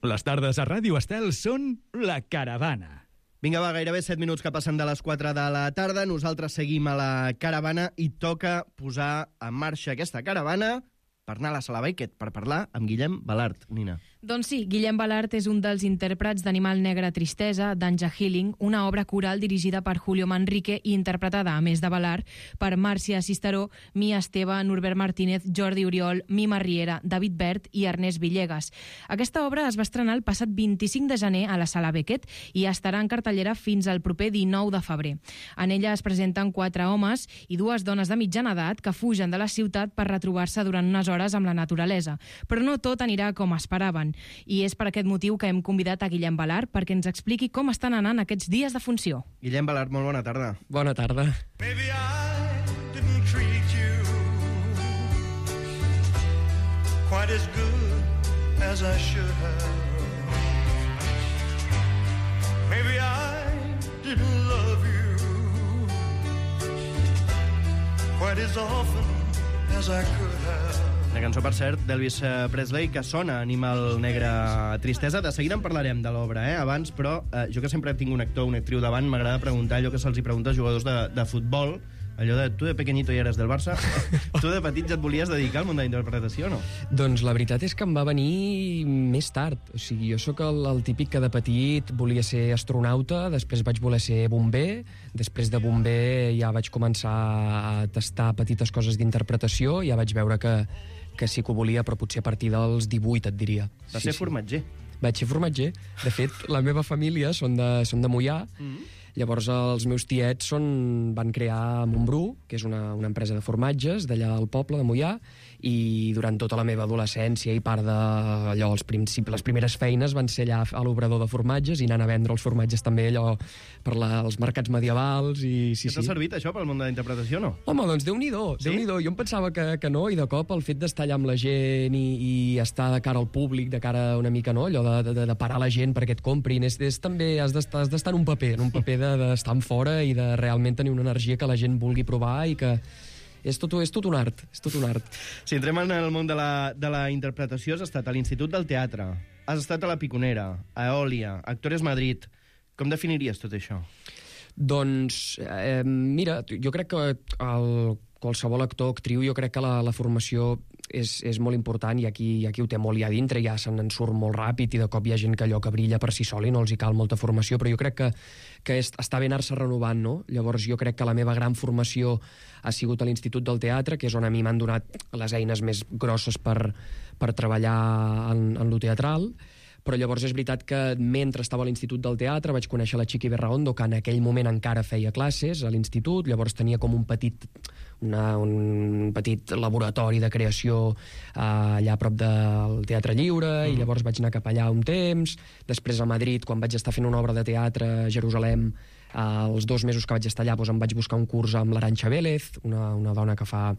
Les tardes a Ràdio Estel són La Caravana. Vinga, va, gairebé 7 minuts que passen de les 4 de la tarda. Nosaltres seguim a la caravana i toca posar en marxa aquesta caravana per anar a la Sala Beckett per parlar amb Guillem Balart. Nina. Doncs sí, Guillem Balart és un dels intèrprets d'Animal Negre Tristesa, d'Anja Healing, una obra coral dirigida per Julio Manrique i interpretada, a més de Balart, per Màrcia Cisteró, Mia Esteve, Norbert Martínez, Jordi Oriol, Mima Riera, David Bert i Ernest Villegas. Aquesta obra es va estrenar el passat 25 de gener a la Sala Beckett i estarà en cartellera fins al proper 19 de febrer. En ella es presenten 4 homes i 2 dones de mitjana edat que fugen de la ciutat per retrobar-se durant unes hores amb la naturalesa. Però no tot anirà com esperaven. I és per aquest motiu que hem convidat a Guillem Balart perquè ens expliqui com estan anant aquests dies de funció. Guillem Balart, molt bona tarda. Bona tarda. Maybe I didn't treat you quite as good as I should have. Maybe I didn't love you quite as often as I could have. Una cançó, per cert, d'Elvis Presley, que sona Animal Negre Tristesa. De seguida en parlarem de l'obra, abans, però jo que sempre tinc un actor o una actriu davant, m'agrada preguntar allò que se'ls pregunta als jugadors de futbol, allò de tu de pequeñito i eres del Barça, tu de petit ja et volies dedicar al món de la interpretació, no? Doncs la veritat és que em va venir més tard. O sigui, jo sóc el típic que de petit volia ser astronauta, després vaig voler ser bomber, després de bomber ja vaig començar a tastar petites coses d'interpretació, ja vaig veure que sí que ho volia, però potser a partir dels 18, et diria. Va ser formatger. Vaig ser formatger. De fet, la meva família són de Moià. Llavors els meus tiets van crear Montbrú, que és una empresa de formatges d'allà al poble de Moià, i durant tota la meva adolescència i part d'allò, les primeres feines van ser allà a l'obrador de formatges i anant a vendre els formatges també allò per els mercats medievals. I sí, que t'ha servit això pel món de la interpretació, no? Home, doncs Déu-n'hi-do, sí? Déu-n'hi-do. Jo em pensava que no, i de cop el fet d'estar allà amb la gent i estar de cara al públic, de cara una mica, no, allò de parar la gent perquè et comprin, és també, has d'estar en un paper d'estar en fora i de realment tenir una energia que la gent vulgui provar i que és tot un art, és tot un art. Si entrem en el món de la interpretació, has estat a l'Institut del Teatre, has estat a la Piconera, a Eòlia, a Actores Madrid. Com definiries tot això? Doncs, mira, jo crec que qualsevol actor o actriu, jo crec que la formació és molt important i aquí ho té molt allà dintre, ja se'n surt molt ràpid i de cop hi ha gent que allò que brilla per si sol i no els hi cal molta formació, però jo crec que està bé anar-se renovant, no? Llavors jo crec que la meva gran formació ha sigut a l'Institut del Teatre, que és on a mi m'han donat les eines més grosses per treballar en lo teatral, però llavors és veritat que mentre estava a l'Institut del Teatre vaig conèixer la Chiqui Berraondo, que en aquell moment encara feia classes a l'Institut, llavors tenia com un petit laboratori de creació allà a prop del Teatre Lliure, i llavors vaig anar cap allà un temps. Després a Madrid, quan vaig estar fent una obra de teatre a Jerusalem, els 2 mesos que vaig estar allà em vaig buscar un curs amb l'Arantxa Vélez, una dona que fa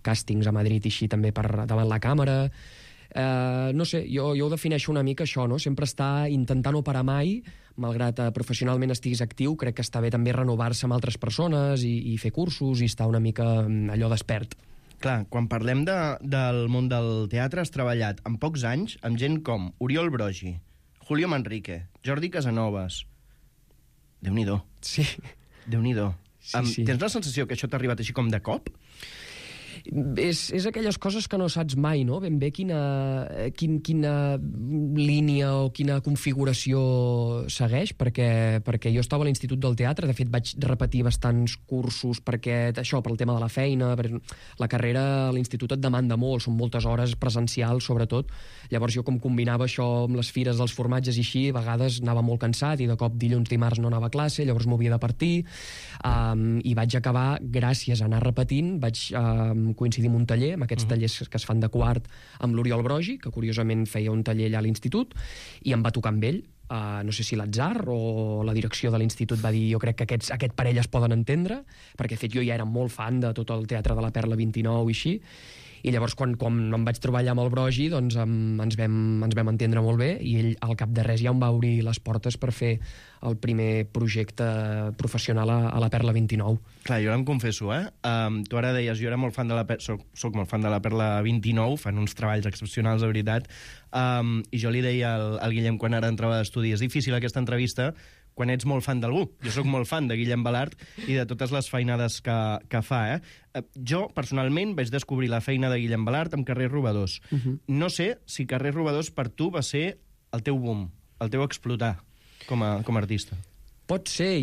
càstings a Madrid i així també davant la càmera. No sé, jo ho defineixo una mica això, no? Sempre estar intentant no parar mai, malgrat professionalment estiguis actiu, crec que està bé també renovar-se amb altres persones i fer cursos i estar una mica allò despert. Clar, quan parlem del món del teatre has treballat en pocs anys amb gent com Oriol Brogi, Julio Manrique, Jordi Casanovas. Déu-n'hi-do. Sí. Déu-n'hi-do. Sí. Tens la sensació que això t'ha arribat així com de cop? És aquelles coses que no saps mai, no? Ben bé quina línia o quina configuració segueix, perquè jo estava a l'Institut del Teatre, de fet vaig repetir bastants cursos perquè això, pel tema de la feina, la carrera a l'Institut et demanda molt, són moltes hores presencials sobretot, llavors jo com combinava això amb les fires dels formatges i així, a vegades anava molt cansat i de cop dilluns, dimarts no anava a classe, llavors m'havia de partir, i vaig acabar, gràcies a anar repetint, vaig coincidir amb un taller, amb aquests tallers que es fan de quart, amb l'Oriol Brogi, que curiosament feia un taller allà a l'Institut, i em va tocar amb ell. No sé si l'atzar o la direcció de l'Institut va dir jo crec que aquest parell es poden entendre, perquè de fet jo ja era molt fan de tot el teatre de la Perla 29 i així, I llavors, quan em vaig trobar allà amb el Brogi, doncs ens vam entendre molt bé, i ell, al cap de res, ja em va obrir les portes per fer el primer projecte professional a la Perla 29. Clar, jo ara em confesso, tu ara deies, jo era molt fan de la soc molt fan de la Perla 29, fan uns treballs excepcionals, de veritat, i jo li deia al Guillem quan ara entrava d'estudi, és difícil aquesta entrevista quan ets molt fan d'algú. Jo sóc molt fan de Guillem Balart i de totes les feinades que fa. Jo, personalment, vaig descobrir la feina de Guillem Balart amb Carrers Robadors. No sé si Carrers Robadors per tu va ser el teu boom, el teu explotar com a artista. Pot ser,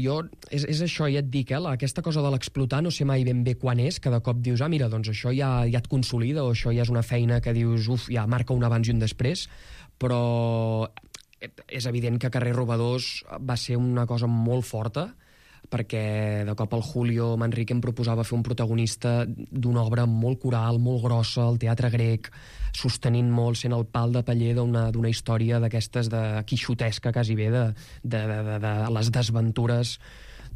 és això, ja et dic, aquesta cosa de l'explotar no sé mai ben bé quan és, que de cop dius, mira, doncs això ja et consolida, o això ja és una feina que dius, ja marca un abans i un després, però és evident que Carrers Robadors va ser una cosa molt forta, perquè de cop el Julio Manrique em proposava fer un protagonista d'una obra molt coral, molt grossa, al teatre grec, sostenint molt, sent el pal de paller d'una història d'aquestes de quixotesca, quasi bé, de les desventures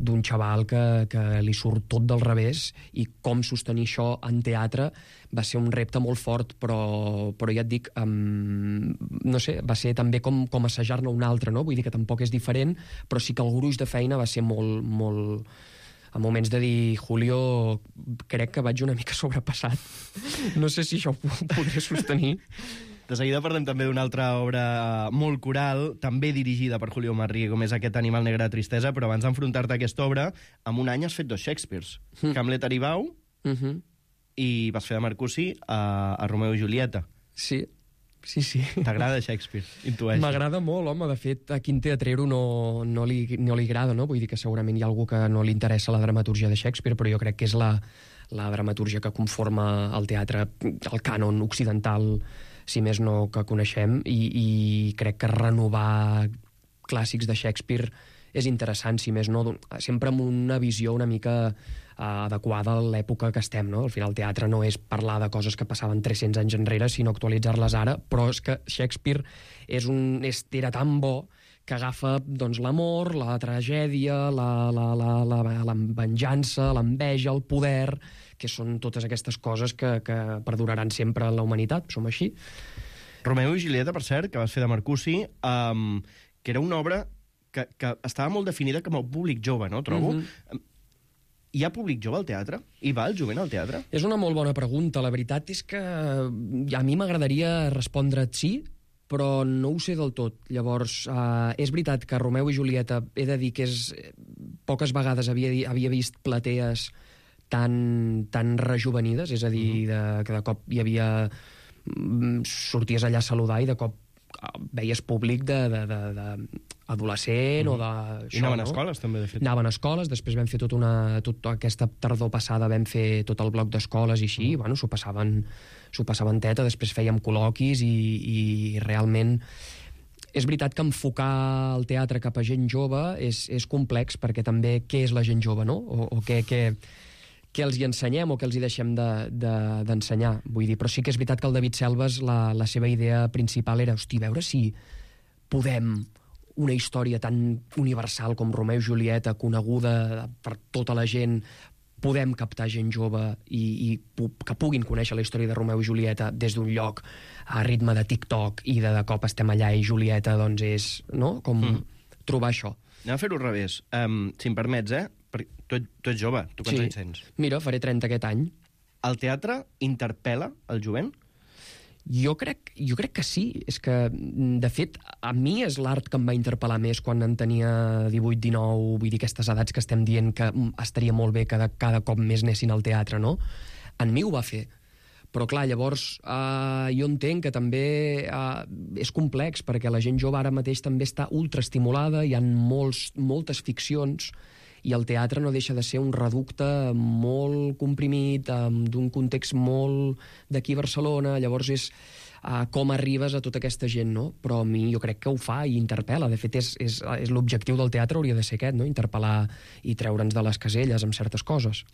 d'un xaval que li surt tot del revés, i com sostenir això en teatre va ser un repte molt fort, però ja et dic, no sé, va ser també com assajar-ne un altre, no? Vull dir que tampoc és diferent, però sí que el gruix de feina va ser molt, molt... A moments de dir, Julio, crec que vaig una mica sobrepassat. No sé si això ho podré sostenir. De seguida parlem també d'una altra obra molt coral, també dirigida per Julio Manrique, com és aquest Animal negre de tristesa, però abans d'enfrontar-te a aquesta obra, en un any has fet 2 Shakespeares. Hamlet Aribau i vas fer de Mercutí a Romeo i Julieta. Sí. T'agrada Shakespeare? Intueixo. M'agrada molt, home. De fet, a quin teatrero no li agrada, no? Vull dir que segurament hi ha algú que no li interessa la dramatúrgia de Shakespeare, però jo crec que és la dramatúrgia que conforma el teatre, el cànon occidental, si més no, que coneixem, i crec que renovar clàssics de Shakespeare és interessant, si més no, sempre amb una visió una mica adequada a l'època que estem, no? Al final el teatre no és parlar de coses que passaven 300 anys enrere, sinó actualitzar-les ara, però és que Shakespeare era tan bo que agafa doncs, l'amor, la tragèdia, la venjança, l'enveja, el poder, que són totes aquestes coses que perduraran sempre en la humanitat, som així. Romeo i Julieta, per cert, que vas fer de Mercutí, que era una obra que estava molt definida com a públic jove, no? Trobo. Hi ha públic jove al teatre? Hi va el jovent al teatre? És una molt bona pregunta. La veritat és que a mi m'agradaria respondre't sí, però no ho sé del tot. Llavors, és veritat que Romeo i Julieta, he de dir que poques vegades havia vist platees tan rejuvenides, és a dir, que de cop hi havia... sorties allà a saludar i de cop veies públic d'adolescent o de... I anaven a escoles, també, de fet. Anaven a escoles, després vam fer tota aquesta tardor passada vam fer tot el bloc d'escoles i així, bueno, s'ho passaven teta, després fèiem col·loquis i realment... És veritat que enfocar el teatre cap a gent jove és complex, perquè també què és la gent jove, no? O què els hi ensenyem o què els hi deixem d'ensenyar, vull dir. Però sí que és veritat que el David Selves, la seva idea principal era, veure si podem una història tan universal com Romeo i Julieta, coneguda per tota la gent, podem captar gent jove i que puguin conèixer la història de Romeo i Julieta des d'un lloc a ritme de TikTok i de cop estem allà i Julieta, doncs és, no?, com trobar això. Anem a fer-ho al revés. Si em permets, tu ets jove, tu quants anys tens? Mira, faré 30 aquest any. El teatre interpel·la el jovent? Jo crec que sí. És que, de fet, a mi és l'art que em va interpel·lar més quan en tenia 18, 19, vull dir, aquestes edats que estem dient que estaria molt bé que cada cop més anessin al teatre, no? En mi ho va fer. Però, clar, llavors jo entenc que també és complex, perquè la gent jove ara mateix també està ultraestimulada, hi ha moltes ficcions, i el teatre no deixa de ser un reducte molt comprimit, d'un context molt d'aquí a Barcelona, llavors és com arribes a tota aquesta gent, no? Però a mi jo crec que ho fa i interpel·la. De fet, és l'objectiu del teatre hauria de ser aquest, no? Interpel·lar i treure'ns de les caselles amb certes coses.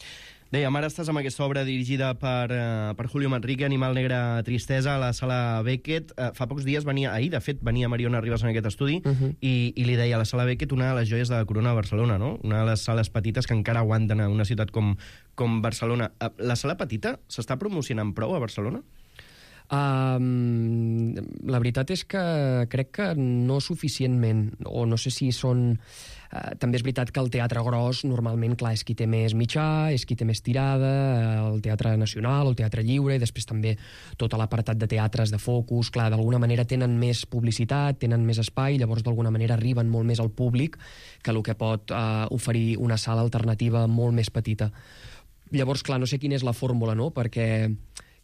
Dèiem, ara estàs amb aquesta obra dirigida per Julio Manrique, Animal negre, tristesa, a la Sala Beckett. Fa pocs dies ahir, de fet, venia Mariona Ribas en aquest estudi i li deia a la Sala Beckett una de les joies de la corona de Barcelona, no? Una de les sales petites que encara aguanten a una ciutat com Barcelona. La sala petita s'està promocionant prou a Barcelona? La veritat és que crec que no suficientment, o no sé si són... també és veritat que el teatre gros normalment, clar, és qui té més mitjà, és qui té més tirada, el Teatre Nacional, el Teatre Lliure, i després també tot l'apartat de teatres de focus, clar, d'alguna manera tenen més publicitat, tenen més espai, llavors d'alguna manera arriben molt més al públic que el que pot oferir una sala alternativa molt més petita. Llavors, clar, no sé quina és la fórmula, no?, perquè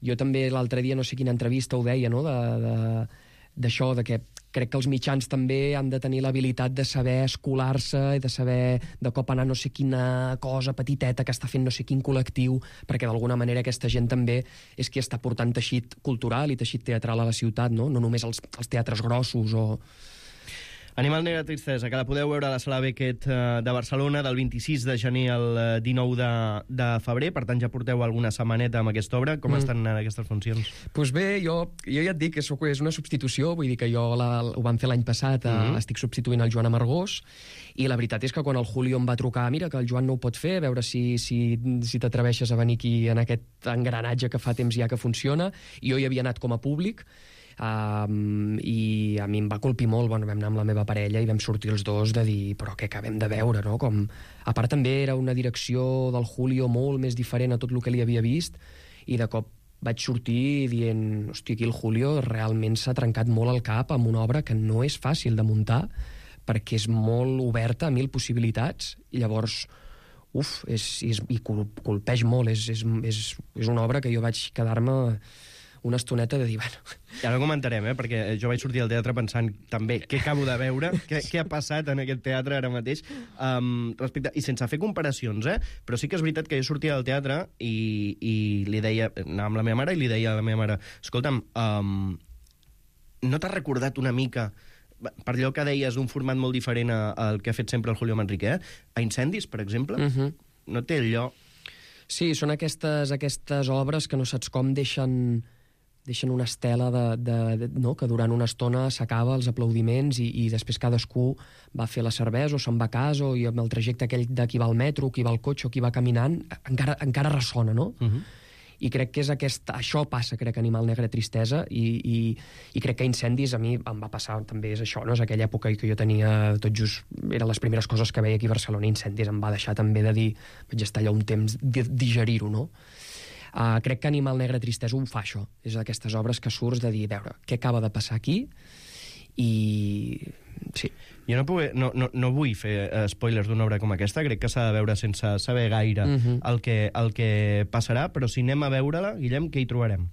jo també l'altre dia, no sé quina entrevista ho deia, no?, d'això, de que crec que els mitjans també han de tenir l'habilitat de saber escolar-se i de saber de cop anar no sé quina cosa petiteta que està fent no sé quin col·lectiu, perquè d'alguna manera aquesta gent també és qui està portant teixit cultural i teixit teatral a la ciutat, no només els teatres grossos o... Animal negre, tristesa, que la podeu veure a la Sala Beckett de Barcelona del 26 de gener al 19 de febrer, per tant ja porteu alguna setmaneta amb aquesta obra. Com estan anant aquestes funcions? Doncs bé, jo ja et dic que és una substitució, vull dir que jo ho vam fer l'any passat, estic substituint el Joan Amargós, i la veritat és que quan el Julio em va trucar, mira, que el Joan no ho pot fer, a veure si t'atreveixes a venir aquí en aquest engranatge que fa temps ja que funciona, i jo hi havia anat com a públic, i a mi em va colpir molt. Vam anar amb la meva parella i vam sortir els dos de dir, però què acabem de veure, no? A part també era una direcció del Julio molt més diferent a tot el que li havia vist, i de cop vaig sortir dient, hòstia, aquí el Julio realment s'ha trencat molt el cap amb una obra que no és fàcil de muntar, perquè és molt oberta a 1000 possibilitats, i llavors i colpeix molt. És una obra que jo vaig quedar-me una estoneta de dir, bueno... I ara comentarem, perquè jo vaig sortir al teatre pensant també què acabo de veure, què ha passat en aquest teatre ara mateix, i sense fer comparacions, però sí que és veritat que jo sortia del teatre i li deia, anava amb la meva mare i li deia a la meva mare, escolta'm, no t'has recordat una mica, per allò que deies, un format molt diferent al que ha fet sempre el Julio Manrique, a Incendis, per exemple? No té allò... Sí, són aquestes obres que no saps com deixen una estela no? Que durant una estona s'acaba els aplaudiments i després cadascú va fer la cervesa o se'n va a casa, i amb el trajecte aquell de qui va al metro, qui va al cotxe o qui va caminant encara ressona, no? I crec que és això passa, crec, Animal negre, tristesa, i crec que Incendis a mi em va passar també, és això, no? És aquella època que jo tenia tot just, eren les primeres coses que veia aquí a Barcelona. Incendis em va deixar també de dir, vaig estar allà un temps de digerir-ho, no? Crec que Animal negre, tristesa ho fa, això. És d'aquestes obres que surts de dir, veure, què acaba de passar aquí? I... sí. Jo no vull fer spoilers d'una obra com aquesta, crec que s'ha de veure sense saber gaire el que passarà, però si anem a veure-la, Guillem, què hi trobarem?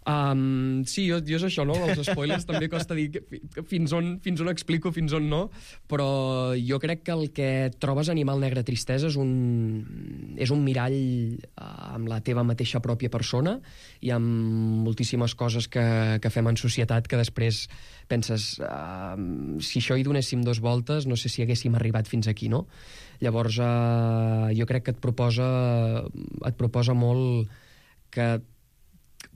Sí, jo és això, no? Els spoilers també costa dir fins on explico, fins on no, però jo crec que el que trobes a Animal negre, tristesa és un mirall amb la teva mateixa pròpia persona i amb moltíssimes coses que fem en societat que després penses, si això hi donéssim 2 voltes no sé si haguéssim arribat fins aquí, no? Llavors jo crec que et proposa molt que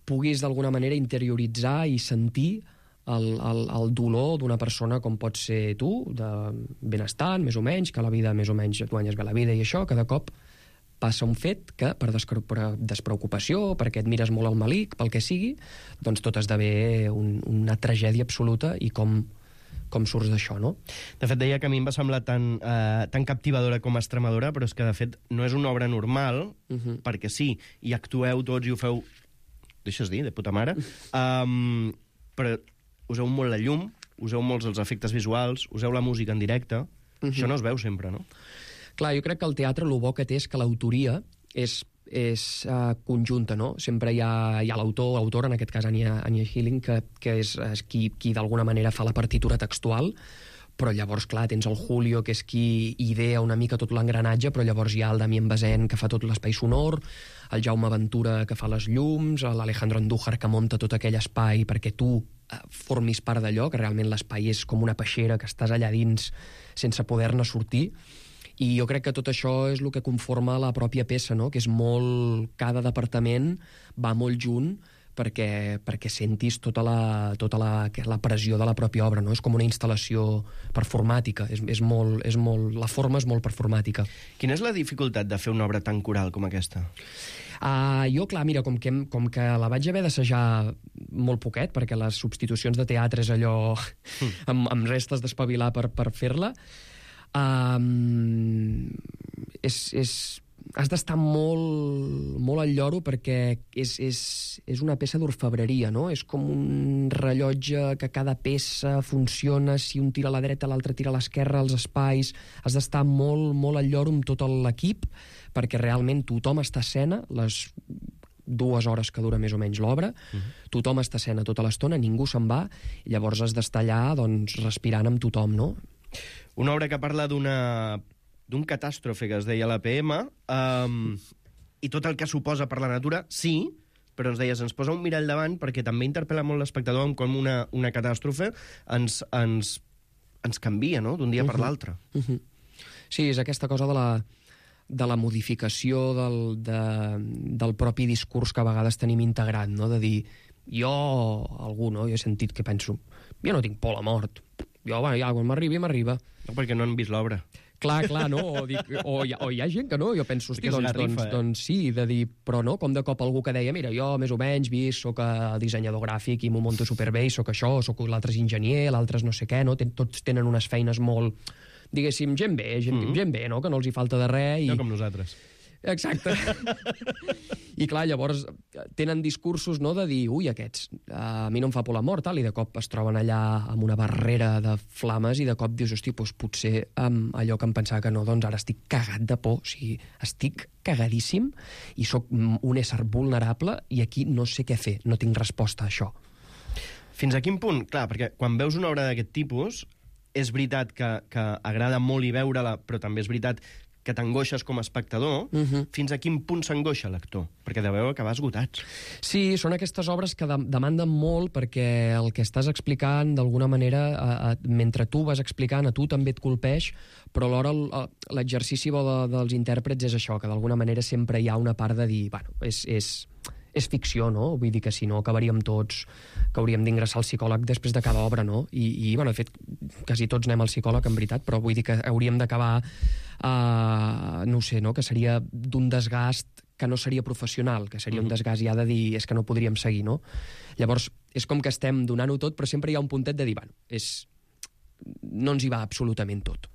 puguis d'alguna manera interioritzar i sentir el dolor d'una persona com pot ser tu, de benestant, més o menys, que a la vida més o menys et guanyes bé la vida i això, que de cop passa un fet que per despreocupació, perquè et mires molt al malic, pel que sigui, doncs tot esdevé una tragèdia absoluta, i com surts d'això, no? De fet, deia que a mi em va semblar tan captivadora com estremadora, però és que, de fet, no és una obra normal, perquè sí, i actueu tots i ho feu, deixes dir, de puta mare, però useu molt la llum, useu molts els efectes visuals, useu la música en directe, això no es veu sempre, no? Clar, jo crec que el teatre el bo que té és que l'autoria és conjunta, no? Sempre hi ha l'autor, en aquest cas Anya Healing, que és qui d'alguna manera fa la partitura textual, però llavors, clar, tens el Julio, que és qui idea una mica tot l'engranatge, però llavors hi ha el Damien Bazin, que fa tot l'espai sonor, el Jaume Ventura, que fa les llums, l'Alejandro Andújar, que munta tot aquell espai perquè tu formis part d'allò, que realment l'espai és com una peixera, que estàs allà dins sense poder-ne sortir, I jo crec que tot això és el que conforma la pròpia peça, no? Que és molt... Cada departament va molt junt perquè sentis tota la pressió de la pròpia obra, no? És com una instal·lació performàtica, és molt, la forma és molt performàtica. Quina és la dificultat de fer una obra tan coral com aquesta? Jo, clar, mira, com que la vaig haver d'assajar molt poquet, perquè les substitucions de teatre és allò... amb restes d'espavilar per fer-la, has d'estar molt al lloro perquè és una peça d'orfebreria, no? És com un rellotge que cada peça funciona, si un tira a la dreta, l'altre tira a l'esquerra, els espais... Has d'estar molt al lloro amb tot l'equip perquè realment tothom està a escena, les 2 hores que dura més o menys l'obra, tothom està a escena tota l'estona, ningú se'n va, i llavors has d'estar allà doncs, respirant amb tothom, no? Una obra que parla d'un catàstrofe que es deia la PM, i tot el que suposa per la natura, sí, però ens deies, ens posa un mirall davant perquè també interpel·la molt l'espectador en com una catàstrofe ens canvia, no?, d'un dia per l'altre. Sí, és aquesta cosa de la modificació del propi discurs que a vegades tenim integrat, no?, de dir, algú, no?, jo he sentit que penso, jo no tinc por a la mort, ja, quan m'arriba. No, perquè no han vist l'obra. Clar, no? O hi ha gent que no, jo penso, hosti, doncs sí, de dir, però no, com de cop algú que deia, mira, jo més o menys vist, soc dissenyador gràfic i m'ho monto superbé, i soc això, l'altre és enginyer, l'altre és no sé què, no? Tots tenen unes feines molt, diguéssim, gent bé, no? Que no els hi falta de res. No com nosaltres. Exacte. I clar, llavors tenen discursos, no?, de dir, aquests, a mi no em fa por la mort, tal, i de cop es troben allà amb una barrera de flames i de cop dius, hosti, doncs potser allò que em pensava que no, doncs ara estic cagat de por, o sigui, estic cagadíssim i sóc un ésser vulnerable i aquí no sé què fer, no tinc resposta a això. Fins a quin punt? Clar, perquè quan veus una obra d'aquest tipus, és veritat que agrada molt i veure-la, però també és veritat que t'angoixes com a espectador, fins a quin punt s'angoixa l'actor? Perquè deveu acabar esgotats. Sí, són aquestes obres que demanden molt perquè el que estàs explicant, d'alguna manera, mentre tu vas explicant, a tu també et colpeix, però alhora l'exercici dels intèrprets és això, que d'alguna manera sempre hi ha una part de dir, bueno, és ficció, no? Vull dir que si no acabaríem tots, que hauríem d'ingressar al psicòleg després de cada obra, no? I bueno, de fet, quasi tots anem al psicòleg, en veritat, però vull dir que hauríem d'acabar, no sé, no? Que seria d'un desgast que no seria professional, que seria un desgast ja de dir, és que no podríem seguir, no? Llavors, és com que estem donant-ho tot, però sempre hi ha un puntet de dir, bueno, no ens hi va absolutament tot.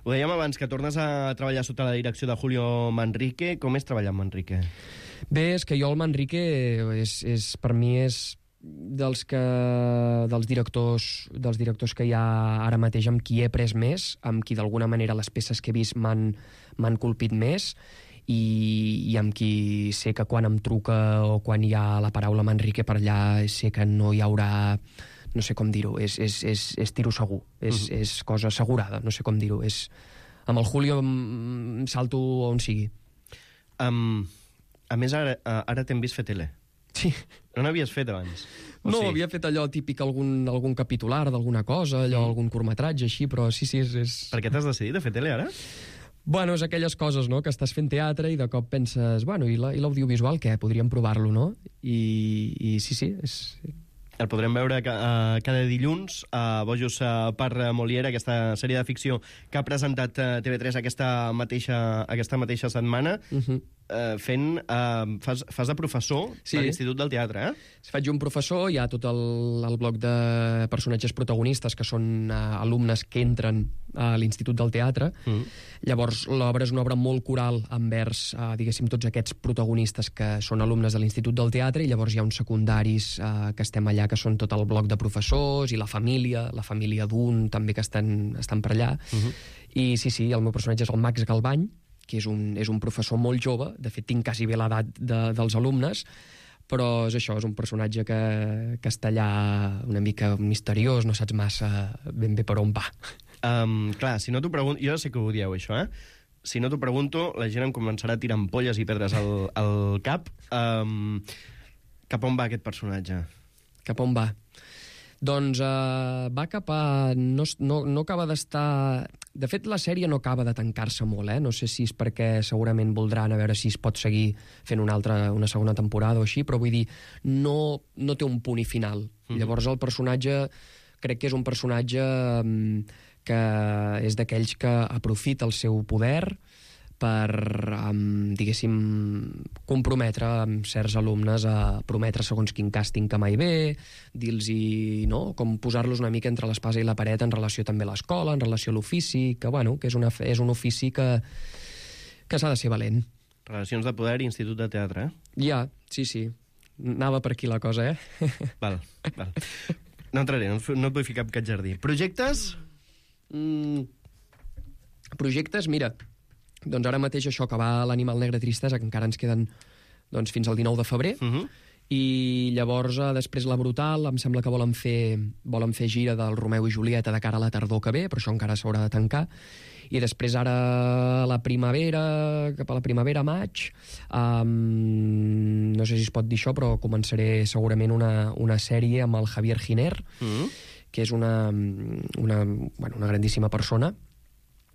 Ho dèiem abans, que tornes a treballar sota la direcció de Julio Manrique. Com és treballar amb Manrique? Bé, és que jo el Manrique per mi és dels directors que hi ha ara mateix amb qui he après més, amb qui d'alguna manera les peces que he vist m'han colpit més, i amb qui sé que quan em truca o quan hi ha la paraula Manrique per allà sé que no hi haurà, no sé com dir-ho, és tiro segur, és cosa assegurada, no sé com dir-ho, amb el Julio em salto on sigui. A més, ara t'hem vist fer tele. Sí. No n'havies fet abans? No, havia fet allò típic, algun capitular d'alguna cosa, algun curtmetratge, així, però sí, és... Per què t'has decidit a fer tele ara? Bueno, és aquelles coses, no?, que estàs fent teatre i de cop penses, bueno, i l'audiovisual, què? Podríem provar-lo, no? I sí, és... El podrem veure cada dilluns a Bojos per Molière, aquesta sèrie de ficció que ha presentat TV3 aquesta mateixa setmana, fas de professor a l'Institut del Teatre, eh? Faig un professor, hi ha tot el bloc de personatges protagonistes que són alumnes que entren a l'Institut del Teatre. Llavors, l'obra és una obra molt coral envers, diguéssim, tots aquests protagonistes que són alumnes de l'Institut del Teatre, i llavors hi ha uns secundaris que estem allà, que són tot el bloc de professors, i la família d'un també que estan per allà. I sí, el meu personatge és el Max Galbany, que és un professor molt jove, de fet tinc quasi bé l'edat dels alumnes, però és això, és un personatge que està allà una mica misteriós, no saps massa ben bé per on va. Clar, si no t'ho pregunto... Jo sé que ho dieu, això, Si no t'ho pregunto, la gent em començarà a tirar ampolles i pedres al cap. Cap on va aquest personatge? Cap on va? Doncs va cap a... No acaba d'estar... De fet, la sèrie no acaba de tancar-se molt, No sé si és perquè segurament voldran a veure si es pot seguir fent una segona temporada o així, però vull dir, no té un punt i final. Llavors el personatge, crec que és un personatge que és d'aquells que aprofita el seu poder per, diguéssim, comprometre amb certs alumnes a prometre segons quin càsting que mai ve, dir-los, no?, com posar-los una mica entre l'espasa i la paret en relació també a l'escola, en relació a l'ofici, que, bueno, que és un ofici que s'ha de ser valent. Relacions de poder i Institut de Teatre, Ja, sí. Anava per aquí la cosa, Val. No entraré, no et vull ficar cap jardí. Projectes? Projectes, mira, doncs ara mateix això, que va l'Animal Negre Tristesa, que encara ens queden fins al 19 de febrer, i llavors després la Brutal, em sembla que volen fer gira del Romeu i Julieta de cara a la tardor que ve, però això encara s'haurà de tancar, i després ara cap a la primavera, maig, no sé si es pot dir això, però començaré segurament una sèrie amb el Javier Giner, que és una grandíssima persona,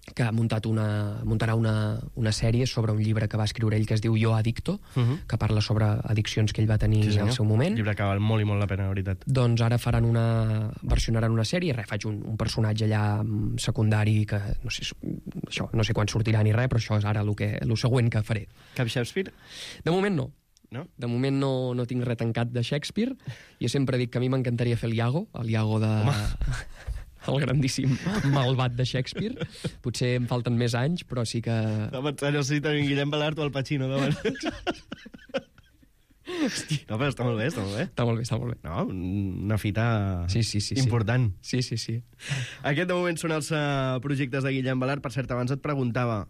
que muntarà una sèrie sobre un llibre que va escriure ell que es diu Jo Adicto, que parla sobre addiccions que ell va tenir al seu moment. Un llibre que val molt i molt la pena, la veritat. Doncs ara versionaran una sèrie, faig un personatge allà secundari que no sé quan sortirà ni res, però això és ara el següent que faré. Cap Shakespeare? De moment no. No? De moment no tinc res tancat de Shakespeare. Jo sempre dic que a mi m'encantaria fer el Iago el grandíssim malvat de Shakespeare. Potser em falten més anys, però sí que... No sé si tenim Guillem Balart o el Pacino davant. No, però està molt bé. Està molt bé. No, una fita sí. important. Sí. Aquest de moment són els projectes de Guillem Balart. Per cert, abans et preguntava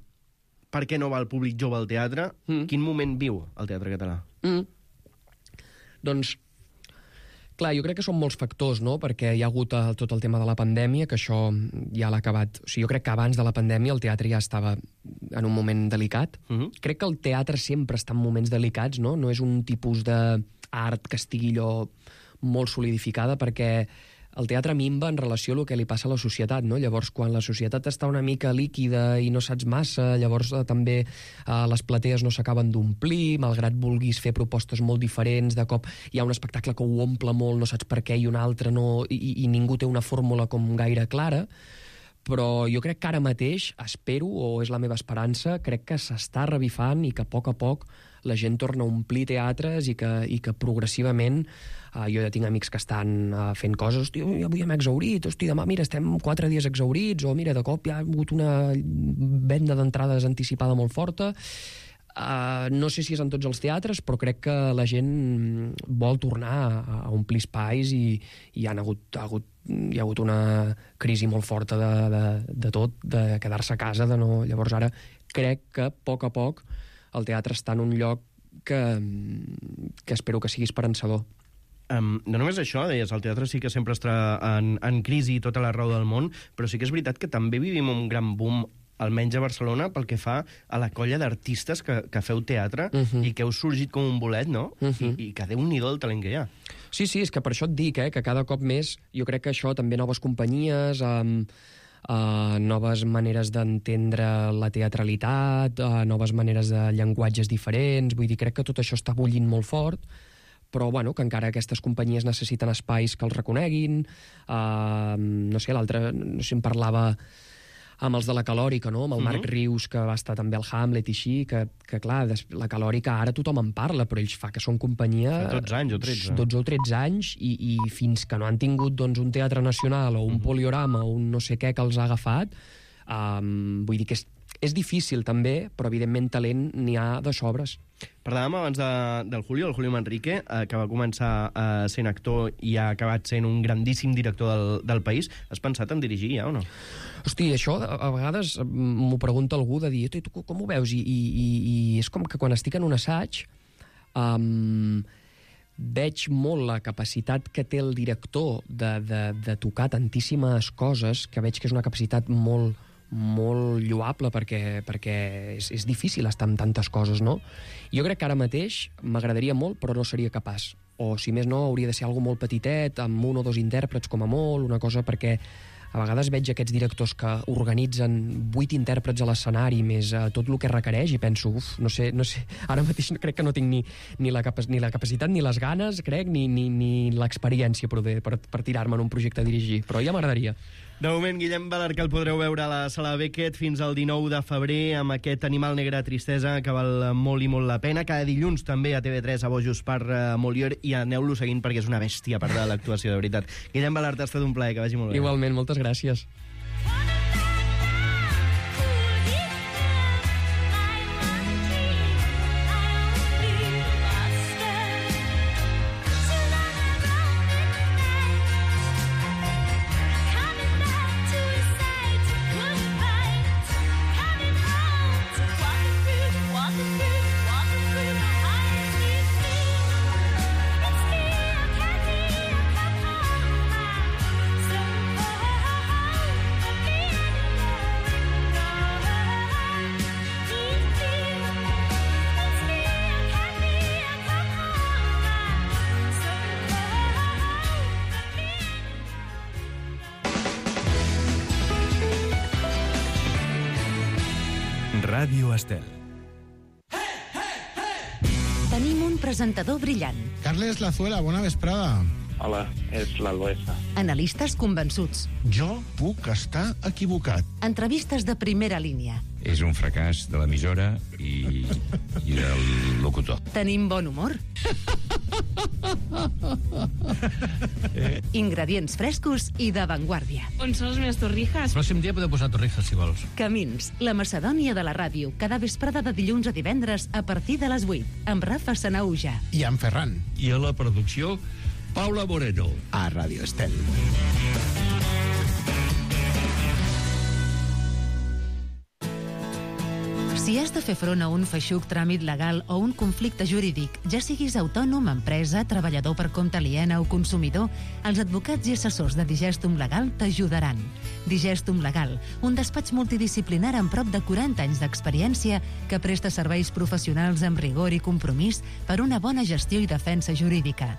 per què no va el públic jove al teatre. Quin moment viu el teatre català? Doncs, clar, jo crec que són molts factors, no?, perquè hi ha hagut tot el tema de la pandèmia, que això ja l'ha acabat. O sigui, jo crec que abans de la pandèmia el teatre ja estava en un moment delicat. Crec que el teatre sempre està en moments delicats, no? No és un tipus d'art que estigui allò molt solidificada, perquè el teatre minva en relació a el que li passa a la societat, no? Llavors, quan la societat està una mica líquida i no saps massa, llavors també les platees no s'acaben d'omplir, malgrat vulguis fer propostes molt diferents, de cop hi ha un espectacle que ho omple molt, no saps per què, i un altre no, i ningú té una fórmula com gaire clara. Però jo crec que ara mateix, espero, o és la meva esperança, crec que s'està revifant i que a poc la gent torna a omplir teatres i que progressivament jo ja tinc amics que estan fent coses, hosti, avui hem exhaurit, hosti, demà, mira, estem 4 dies exhaurits, o mira, de cop hi ha hagut una venda d'entrades anticipada molt forta. No sé si és en tots els teatres, però crec que la gent vol tornar a omplir espais i hi ha hagut una crisi molt forta de tot, de quedar-se a casa, de no... Llavors ara crec que a poc el teatre està en un lloc que espero que sigui esperançador. No només això, deies, el teatre sí que sempre està en crisi tota l'arreu del món, però sí que és veritat que també vivim un gran boom, almenys a Barcelona, pel que fa a la colla d'artistes que feu teatre i que heu sorgit com un bolet, no? I que Déu-n'hi-do el talent que hi ha. Sí, és que per això et dic, que cada cop més, jo crec que això, també noves companyies, noves maneres d'entendre la teatralitat, noves maneres de llenguatges diferents, vull dir, crec que tot això està bullint molt fort, però bueno, que encara aquestes companyies necessiten espais que els reconeguin. No sé, l'altre, no sé si em parlava amb els de la Calòrica, no?, amb el Marc Rius, que va estar també al Hamlet i així, que clar, la Calòrica ara tothom en parla, però ells fa que són companyia... Fa 12 anys o 13. 12 o 13 anys, i fins que no han tingut doncs, un teatre nacional o un poliorama o un no sé què que els ha agafat, vull dir que és difícil també, però evidentment talent n'hi ha de sobres. Parlàvem abans del Julio Manrique, que va començar sent actor i ha acabat sent un grandíssim director del país. Has pensat en dirigir ja o no? Hosti, això a vegades m'ho pregunta algú de dir, tu com ho veus? I és com que quan estic en un assaig veig molt la capacitat que té el director de tocar tantíssimes coses, que veig que és una capacitat molt molt lloable perquè és difícil estar amb tantes coses, no? Jo crec que ara mateix m'agradaria molt, però no seria capaç. O, si més no, hauria de ser algo molt petitet, amb 1 o 2 intèrprets com a molt, una cosa perquè a vegades veig aquests directors que organitzen 8 intèrprets a l'escenari més tot el que requereix i penso, no sé, ara mateix crec que no tinc ni la capacitat ni les ganes, crec, ni l'experiència per tirar-me en un projecte a dirigir, però ja m'agradaria. De moment, Guillem Balaguer, que el podreu veure a la Sala Beckett fins al 19 de febrer amb aquest Animal negre tristesa que val molt i molt la pena. Cada dilluns també a TV3 a Bojos per Molière i aneu-lo seguint perquè és una bèstia a part de l'actuació, de veritat. Guillem Balaguer, ha estat un plaer, que vagi molt bé. Igualment, moltes gràcies. Ràdio Estel. Tenim un presentador brillant. Carles Lazuela, bona vesprada. Hola, és l'Albesa. Analistes convençuts. Jo puc estar equivocat. Entrevistes de primera línia. És un fracàs de l'emissora i del locutor. Tenim bon humor. Ingredients frescos i d'avantguàrdia. On són les meves torrijas? El pròxim dia podeu posar torrijas, si vols. Camins, la Macedònia de la ràdio, cada vesprada de dilluns a divendres a partir de les 8, amb Rafa Sanauja. I en Ferran. I a la producció, Paula Moreno. A Ràdio Estel. Si has de fer front a un feixuc tràmit legal o un conflicte jurídic, ja siguis autònom, empresa, treballador per compte aliena o consumidor, els advocats i assessors de Digestum Legal t'ajudaran. Digestum Legal, un despatx multidisciplinar amb prop de 40 anys d'experiència que presta serveis professionals amb rigor i compromís per una bona gestió i defensa jurídica.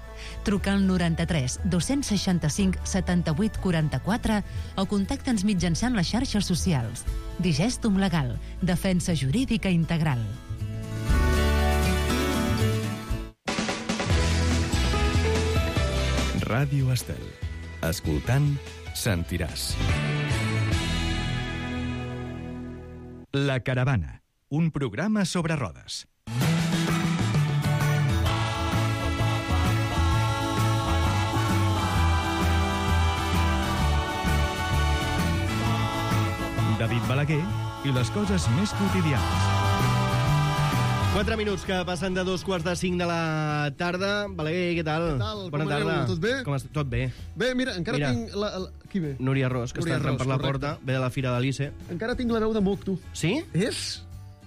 Truca al 93 265 78 44 o contacta'ns mitjançant les xarxes socials. Digestum Legal, defensa jurídica integral. Ràdio Estel. Escoltant, sentiràs. La Caravana, un programa sobre rodes. David Balaguer i les coses més quotidianes. 4 minuts que passen de 2:45 de la tarda. Balaguer, què tal? Què tal? Bona Com tarda. aneu? Tot bé? Tot bé. Bé, mira, encara tinc... Qui ve? Núria Ros, que Núria està entrant Ros, per la correcte. porta, ve de la Fira de l'Ice. Encara tinc la veu de moc, tu. Sí? És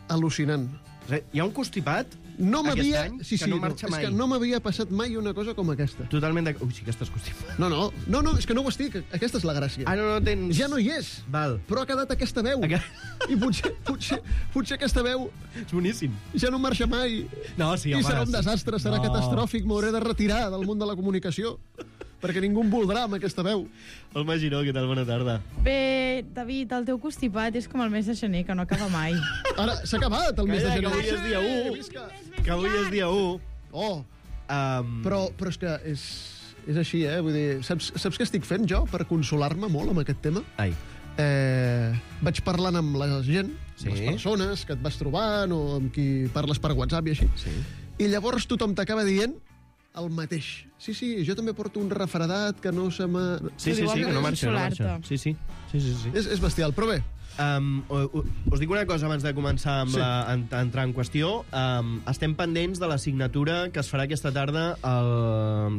al·lucinant. Hi ha un constipat No aquest m'havia... any Sí, que sí, no marxa és mai. que no m'havia passat mai una cosa com aquesta. Totalment de... Ui, sí que estàs constipat. No, és que no ho estic. Aquesta és la gràcia. Ah, no tens... Ja no hi és. Val. Però ha quedat aquesta veu. I potser aquesta veu És boníssim. ja no marxa mai. No, sí, I home, serà un sí. desastre, serà No. catastròfic, m'hauré de retirar del món de la comunicació, perquè ningú em voldrà amb aquesta veu. Olma Giró, què tal? Bona tarda. Bé, David, el teu constipat és com el mes de gener, que no acaba mai. Ara, s'ha acabat el mes de Calla, gener. que avui és dia 1. Visca. Que avui és dia 1. Oh, però és que és així, Vull dir, saps què estic fent jo per consolar-me molt amb aquest tema? Ai. Vaig parlant amb la gent, Sí. les persones que et vas trobant o amb qui parles per WhatsApp i així, Sí. i llavors tothom t'acaba dient el mateix. Sí, jo també porto un refredat que no se m'ha... Sí, que no marxa. Sí. És bestial, però bé. Us dic una cosa abans de començar amb entrar en qüestió. Estem pendents de la signatura que es farà aquesta tarda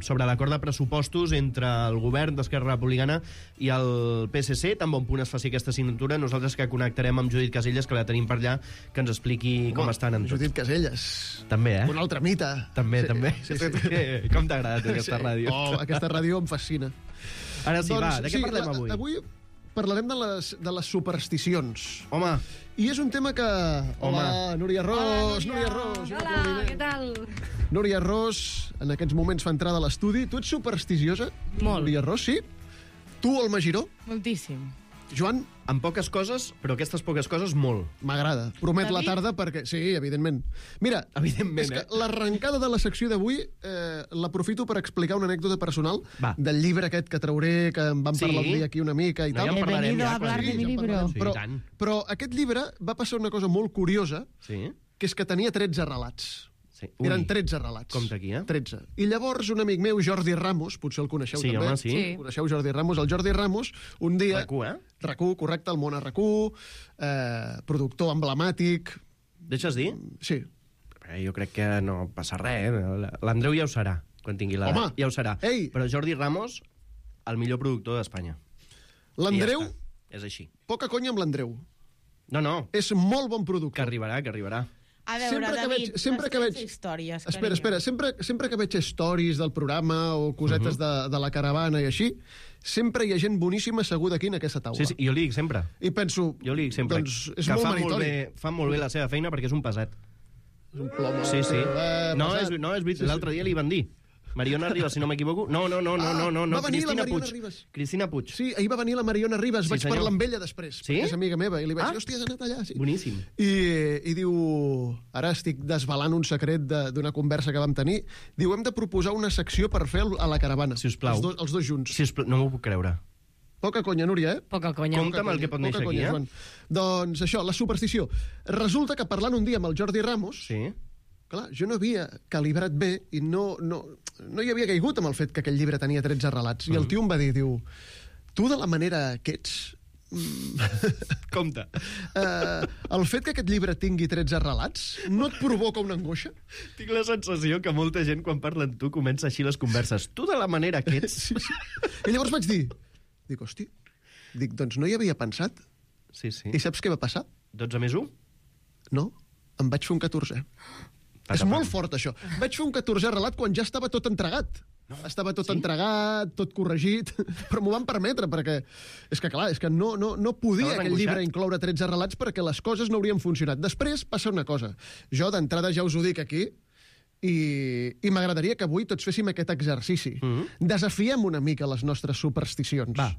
sobre l'acord de pressupostos entre el govern d'Esquerra Republicana i el PSC. Tan bon punt es faci aquesta signatura, nosaltres que connectarem amb Judit Casellas, que la tenim per allà, que ens expliqui com estan en tot. Judit Casellas. També, Un altre mite. També. Sí. Com t'agrada aquesta ràdio? Oh, aquesta ràdio em fascina. Ara sí, va, de què parlem avui? Avui parlarem de les supersticions. Home. I és un tema que... Hola, Núria Ros! Núria Ros! Hola, què tal? Núria Ros, en aquests moments fa entrada a l'estudi. Tu ets supersticiosa? Molt. Núria Ros, sí? Tu, el Magiró? Moltíssim. Joan? Amb poques coses, però aquestes poques coses, molt. M'agrada. Promet la tarda perquè... Sí, evidentment. Mira, evidentment, és que l'arrencada de la secció d'avui l'aprofito per explicar una anècdota personal del llibre aquest que trauré, que en vam parlar un dia aquí una mica i tal. Ja en parlarem. He venido a hablar de mi libro. Però aquest llibre va passar una cosa molt curiosa, que és que tenia 13 relats. Eren 13 relats. Compte aquí, 13. I llavors un amic meu, Jordi Ramos, potser el coneixeu també. Home, sí. Coneixeu Jordi Ramos? El Jordi Ramos, un dia... RAC1, RAC1, correcte, el món a RAC1, productor emblemàtic... Deixes dir? Sí. Jo crec que no passa res, L'Andreu ja ho serà, quan tingui l'edat. Home! Ja ho serà. Ei! Però Jordi Ramos, el millor productor d'Espanya. L'Andreu... És així. Poca conya amb l'Andreu. No. És molt bon productor. Que arribarà. A veure, David, sempre que veig històries. Espera, sempre que veig stories del programa o cosetes de la caravana i així, sempre hi ha gent boníssima asseguda aquí en aquesta taula. Sí, jo li dic sempre. I penso, jo li dic sempre doncs és que molt meritori. Fa molt bé la seva feina perquè és un pesat. És un plom. Sí. No, és veritat. L'altre dia li van dir. Mariona Ribas, si no m'equivoco. No. Va venir la Mariona Ribas. Cristina Puig. Sí, ahir va venir la Mariona Ribas. Vaig parlar amb ella després, perquè és amiga meva. I li vaig dir, hòstia, has anat allà. Sí. Boníssim. I diu... Ara estic desvelant un secret d'una conversa que vam tenir. Diu, hem de proposar una secció per fer a la caravana. Si us plau. Els dos junts. No m'ho puc creure. Poca conya, Núria, Poca conya. Compte amb el que pot néixer aquí, Joan. Doncs això, la superstició. Resulta que parlant un dia amb el Jordi Ramos... Sí. Clar, jo no havia calibrat bé i no hi havia caigut amb el fet que aquell llibre tenia 13 relats. I el tio em va dir, diu, tu de la manera que ets... Compte. El fet que aquest llibre tingui 13 relats no et provoca una angoixa? Tinc la sensació que molta gent, quan parla amb tu, comença així les converses. Tu de la manera que ets... Sí. I llavors vaig dir, hosti, doncs no hi havia pensat. Sí. I saps què va passar? 12 més 1? No, em vaig fer un 14è. És molt fort, això. Vaig fer un 14è relat quan ja estava tot entregat. Estava tot entregat, tot corregit, però m'ho van permetre, perquè és que no podia aquell llibre incloure 13 relats perquè les coses no haurien funcionat. Després passa una cosa. Jo, d'entrada, ja us ho dic aquí, i m'agradaria que avui tots féssim aquest exercici. Desafiem una mica les nostres supersticions. Va.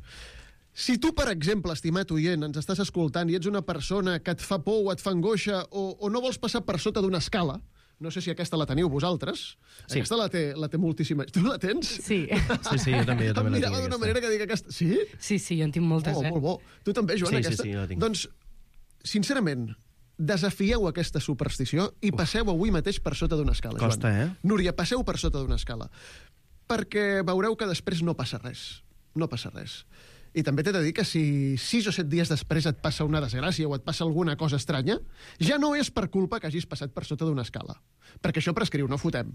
Si tu, per exemple, estimat oient, ens estàs escoltant i ets una persona que et fa por o et fa angoixa o no vols passar per sota d'una escala, no sé si aquesta la teniu vosaltres. Sí. Aquesta la té moltíssima. Tu la tens? Sí. Sí, jo també la tinc. Em mirava d'una manera que dic aquesta... Sí? Sí, jo en tinc moltes, molt bo. Tu també, Joan, aquesta? Sí, la tinc. Doncs, sincerament, desafieu aquesta superstició i passeu avui mateix per sota d'una escala, Joan. Costa, Núria, passeu per sota d'una escala. Perquè veureu que després no passa res. No passa res. I també t'he de dir que si 6 o 7 dies després et passa una desgràcia o et passa alguna cosa estranya, ja no és per culpa que hagis passat per sota d'una escala. Perquè això prescriu, no fotem.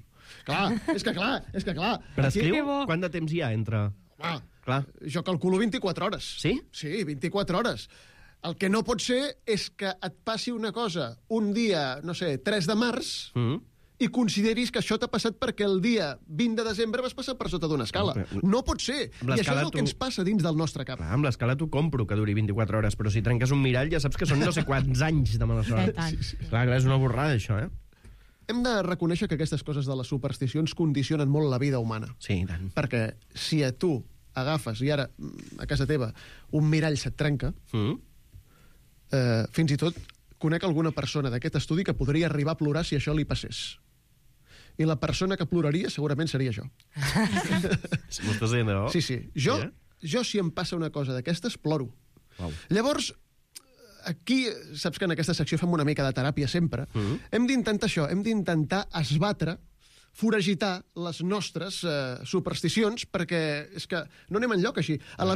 Clar. Prescriu? Quant de temps hi ha entre... Clar. Jo calculo 24 hores. Sí? Sí, 24 hores. El que no pot ser és que et passi una cosa un dia, no sé, 3 de març... i consideris que això t'ha passat perquè el dia 20 de desembre vas passar per sota d'una escala. No pot ser. I això és el que ens passa dins del nostre cap. Amb l'escala t'ho compro, que duri 24 hores, però si trenques un mirall ja saps que són no sé quants anys de mala sort. Clar, és una borrada, això, Hem de reconèixer que aquestes coses de les supersticions condicionen molt la vida humana. Sí, tant. Perquè si a tu agafes, i ara, a casa teva, un mirall se't trenca, fins i tot conec alguna persona d'aquest estudi que podria arribar a plorar si això li passés. I la persona que ploraria segurament seria jo. M'ho estàs dient, no? Sí. Jo si em passa una cosa d'aquestes, ploro. Wow. Llavors, aquí, saps que en aquesta secció fem una mica de teràpia sempre, hem d'intentar això, hem d'intentar esbatre, foragitar les nostres supersticions, perquè és que no anem enlloc així. A la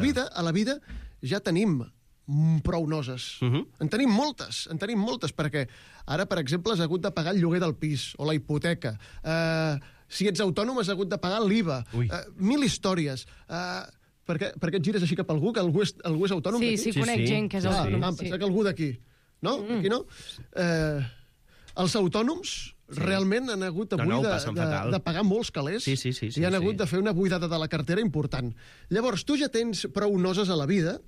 vida ja tenim prou noses. En tenim moltes, perquè ara, per exemple, has hagut de pagar el lloguer del pis o la hipoteca. Si ets autònom, has hagut de pagar l'IVA. 1000 històries. Per què et gires així cap a algú? Que algú és autònom d'aquí? Sí, conec gent que és autònom. Pensar que algú d'aquí. No? Aquí no? Els autònoms realment han hagut avui de pagar molts calés i han hagut de fer una buidada de la cartera important. Llavors, tu ja tens prou noses a la vida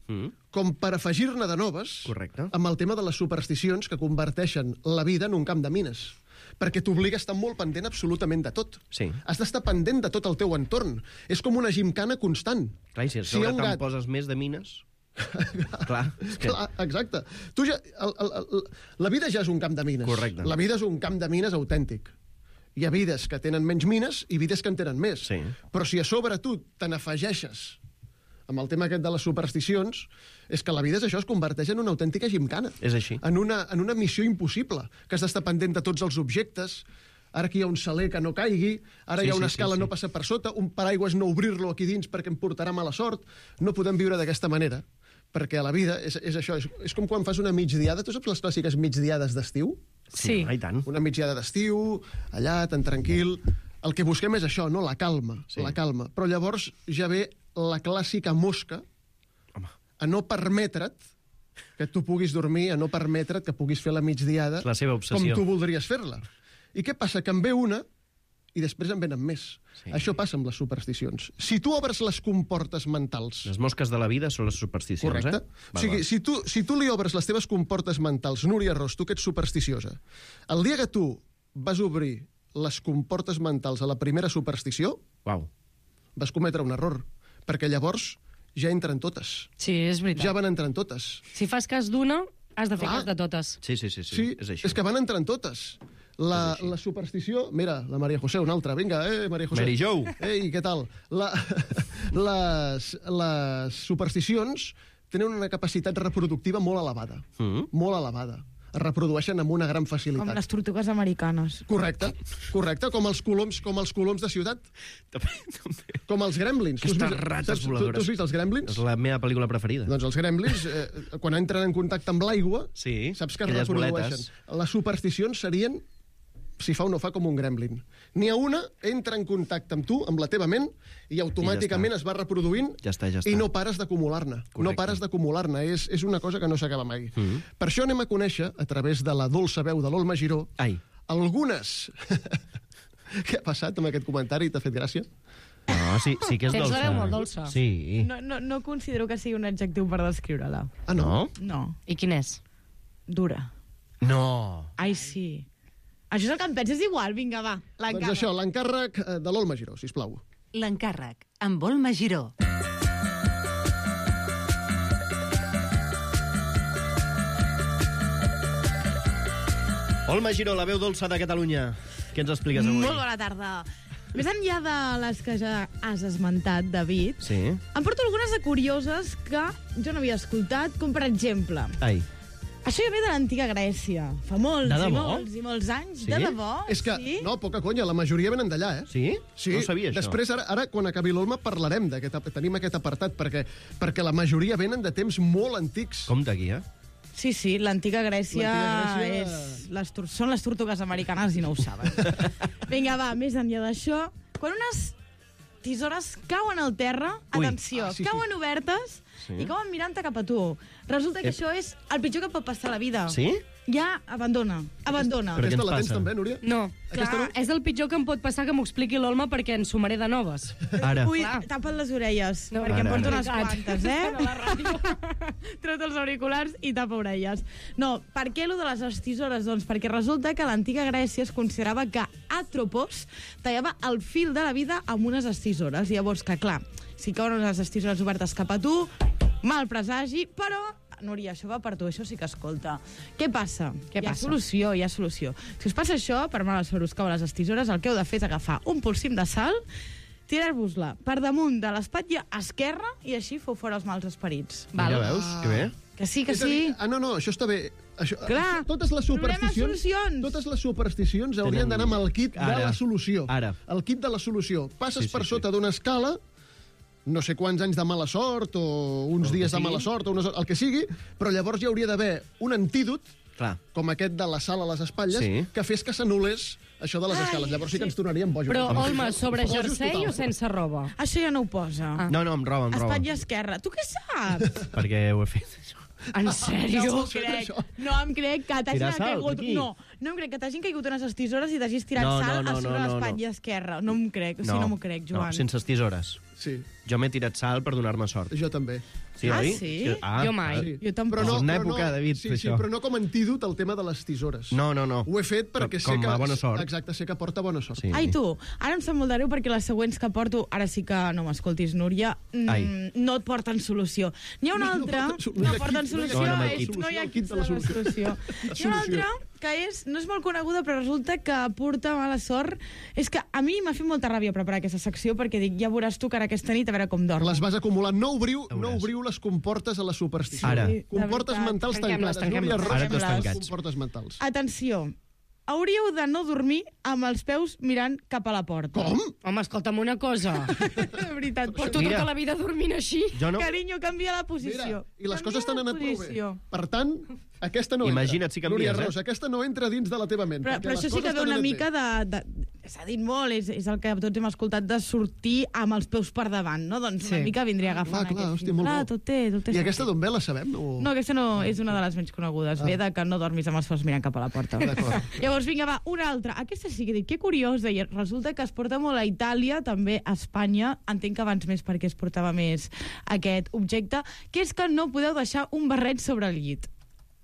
com per afegir-ne de noves amb el tema de les supersticions que converteixen la vida en un camp de mines. Perquè t'obliga a estar molt pendent absolutament de tot. Has d'estar pendent de tot el teu entorn. És com una gimcana constant. Clar, i si a sobre te'n poses més de mines... Clar, exacte. La vida ja és un camp de mines. La vida és un camp de mines autèntic. Hi ha vides que tenen menys mines i vides que en tenen més. Però si a sobre tu te n'afegeixes amb el tema aquest de les supersticions, és que la vida és això, es converteix en una autèntica gimcana. És així. En una missió impossible, que has d'estar pendent de tots els objectes. Ara aquí hi ha un saler que no caigui, ara hi ha una escala no passa per sota, un paraigües no obrir-lo aquí dins perquè em portarà mala sort. No podem viure d'aquesta manera, perquè a la vida és això, és com quan fas una migdiada. Tu saps les clàssiques migdiades d'estiu? Sí. I tant. Una migdiada d'estiu, allà, tan tranquil. El que busquem és això, no? La calma, la calma. Però llavors ja ve la clàssica mosca a no permetre't que tu puguis dormir, a no permetre't que puguis fer la migdiada com tu voldries fer-la. I què passa? Que en ve una i després en venen més. Això passa amb les supersticions. Si tu obres les comportes mentals... Les mosques de la vida són les supersticions, correcte. O sigui, si tu li obres les teves comportes mentals, Núria Ros, tu que ets supersticiosa, el dia que tu vas obrir les comportes mentals a la primera superstició, vas cometre un error, perquè llavors ja entren totes. Sí, és veritat. Ja van entrant totes. Si fas cas d'una, has de fer cas de totes. Sí, és així. És que van entrant totes. La superstició... Mira, la Maria José, una altra. Vinga, Maria José. Mary Jo. Ei, què tal? Les supersticions tenen una capacitat reproductiva molt elevada. Molt elevada. Es reprodueixen amb una gran facilitat. Com les tortugues americanes. Correcte, com els coloms de ciutat. Com els gremlins. Aquestes rates voladores. Tu has vist els gremlins? És la meva pel·lícula preferida. Doncs els gremlins, quan entren en contacte amb l'aigua, saps que es reprodueixen. Les supersticions serien si fa o no fa com un gremlin. N'hi ha una, entra en contacte amb tu, amb la teva ment, i automàticament es va reproduint i no pares d'acumular-ne. No pares d'acumular-ne. És una cosa que no s'acaba mai. Per això anem a conèixer, a través de la dolça veu de l'Olma Giró, algunes... Què ha passat amb aquest comentari? T'ha fet gràcia? No, sí que és dolça. Tens la veu molt dolça. Sí. No considero que sigui un adjectiu per descriure-la. Ah, no? No. I quin és? Dura. No. Ai, sí. Això és el que em penses igual, vinga, va, l'encàrrec. Doncs això, l'encàrrec de l'Olma Giró, sisplau. L'encàrrec, amb Olma Giró. Olma Giró, la veu dolça de Catalunya. Què ens expliques avui? Molt bona tarda. Més enllà de les que ja has esmentat, David, em porto algunes de curioses que jo no havia escoltat, com per exemple... Això ja ve de l'antiga Grècia. Fa molts i molts anys. De debò? És que, no, poca conya, la majoria venen d'allà, eh? Sí? No sabia això. Després, ara quan acabi l'Olma, parlarem tenim aquest apartat, perquè la majoria venen de temps molt antics. Com d'aquí, Sí, l'antiga Grècia són les tortugues americanes i no ho saben. Vinga, va, més enllà d'això, quan unes tisores cauen al terra, atenció, cauen obertes i cauen mirant-te cap a tu. Resulta que això és el pitjor que pot passar a la vida. Sí? Ja, abandona. Aquesta la tens també, Núria? No, clar, és el pitjor que em pot passar que m'ho expliqui l'Olma perquè en sumaré de noves. Ara. Ui, tapa't les orelles, perquè em porto unes quantes, Tret els auriculars i tapa orelles. No, per què allò de les tisores? Doncs perquè resulta que a l'antiga Grècia es considerava que Atropos tallava el fil de la vida amb unes tisores. Llavors que, clar, si cauen unes tisores obertes cap a tu, mal presagi, però... Núria, això va per tu, això sí que escolta. Què passa? Hi ha solució. Si us passa això, per mal sobre us cauen les tisores, el que heu de fer és agafar un polsim de sal, tirar-vos-la per damunt de l'espatlla esquerra i així feu fora els mals esperits. Ja veus, que bé. Que sí. No, això està bé. Clar, totes les supersticions haurien d'anar amb el kit de la solució. El kit de la solució. Passes per sota d'una escala, no sé quants anys de mala sort, o uns dies de mala sort, o el que sigui, però llavors hi hauria d'haver un antídot, com aquest de la sal a les espatlles, que fes que s'anul·lés això de les escales. Llavors sí que ens tornaríem bojos. Però, Olma, sobre jersei o sense roba? Això ja no ho posa. No, amb roba. Espatlla esquerra. Tu què saps? Perquè ho he fet, això. En sèrio? No em crec que t'hagin Tirar sal, caigut... aquí? No em crec que t'hagin caigut unes tisores i t'hagis tirat sal a sobre l'espatlla esquerra. No em crec, no m'ho crec, Joan. No, sense tisores. Sí. Jo m'he tirat sal per donar-me sort. Jo també. Sí, oi? Sí? Jo mai. Sí. Jo tampoc. Però És una època, David, sí, això. però no com a antídot el tema de les tisores. No. Ho he fet perquè sé Com que... a bona sort. Exacte, sé que porta bona sort. Sí. Ai, tu, ara em sap molt de greu perquè les següents que porto, ara sí que no m'escoltis, Núria, no et porten solució. N'hi ha una altra... No porten solució. No hi ha kit de la solució. Hi ha una altra que no és molt coneguda, però resulta que porta mala sort. És que a mi m'ha fet molta ràbia preparar aquesta secció perquè dic, ja veuràs tu que ara aquesta nit a veure com dorm. Les vas acumulant. No obriu les comportes a la superstició. Ara. Comportes mentals tancades. Ara tots tancats. Comportes mentals. Atenció, hauríeu de no dormir amb els peus mirant cap a la porta. Com? Home, escolta'm una cosa. De veritat. Porto tota la vida dormint així. Jo no. Carinyo, canvia la posició. Mira, i les coses t'han anat prou bé. Per tant, aquesta no Imagina't si canvies, Núria Ros, aquesta no entra dins de la teva ment. Però això sí que ve una mica de... S'ha dit molt, és el que tots hem escoltat, de sortir amb els peus per davant, no? Doncs una mica vindria agafant clar, aquest... hòstia, molt bo. Tot té I aquesta d'on ve, la sabem? O... No, aquesta no és una de les menys conegudes. Ve de que no dormis amb els peus mirant cap a la porta. Llavors, vinga, va, una altra. Aquesta sí que dic, que curiosa. I resulta que es porta molt a Itàlia, també a Espanya. Entenc que abans més perquè es portava més aquest objecte, que és que no podeu deixar un barret sobre el llit.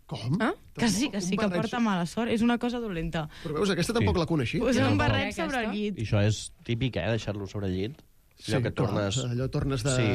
Com? Que sí, que porta mala sort. És una cosa dolenta. Però veus, aquesta tampoc la coneixia. Posar un barret sobre el llit. I això és típic, deixar-lo sobre el llit. Allò que tornes... Allò tornes de... Sí.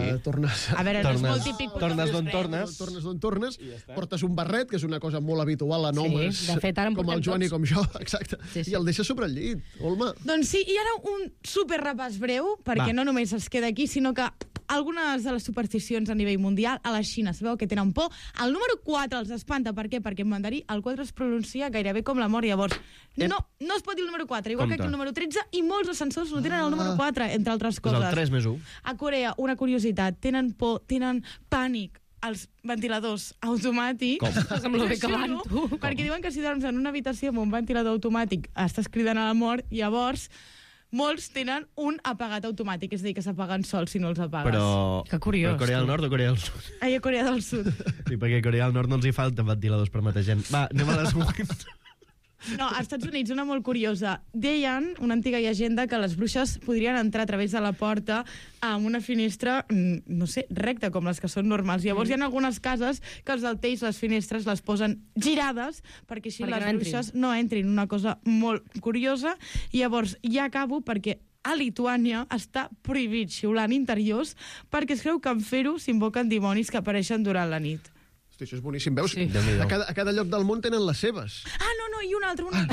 A veure, no és molt típic. Tornes d'on tornes. Tornes d'on tornes. Portes un barret, que és una cosa molt habitual en homes, de fet, ara en com el portem Joan i tots. com jo, exacte. I el deixes sobre el llit, Olma. Doncs sí, i ara un superrepàs breu, perquè no només es queda aquí, sinó que algunes de les supersticions a nivell mundial, a la Xina, sabeu que tenen por. El número 4 els espanta. Per què? Perquè en mandarí el 4 es pronuncia gairebé com la mort. Llavors, no es pot dir el número 4, igual que aquí el número 13, i molts ascensors no tenen el número 4, entre altres coses. Pues el 3 més 1. A Corea, una curiositat, tenen por, tenen pànic als ventiladors automàtics. Com? Amb lo bé que van, tu. Perquè diuen que si dorms en una habitació amb un ventilador automàtic estàs cridant a la mort, llavors molts tenen un apagat automàtic, és a dir, que s'apaguen sols si no els apagues. Però... Que curiós. Però Corea del Nord o Corea del Sud? Ai, a Corea del Sud. Sí, perquè a Corea del Nord no els hi falten ventiladors per matar gent. Va, anem a les següents. No, als Estats Units, una molt curiosa. Deien, una antiga llegenda, que les bruixes podrien entrar a través de la porta amb una finestra, no sé, recta, com les que són normals. Llavors hi ha algunes cases que els altells, les finestres, les posen girades perquè així les bruixes no entrin. Una cosa molt curiosa. I llavors ja acabo perquè a Lituània està prohibit xiular en interiors perquè es creu que en fer-ho s'invoquen dimonis que apareixen durant la nit. Hosti, això és boníssim. Veus? Sí. A cada lloc del món tenen les seves. Ah, no, i una altra.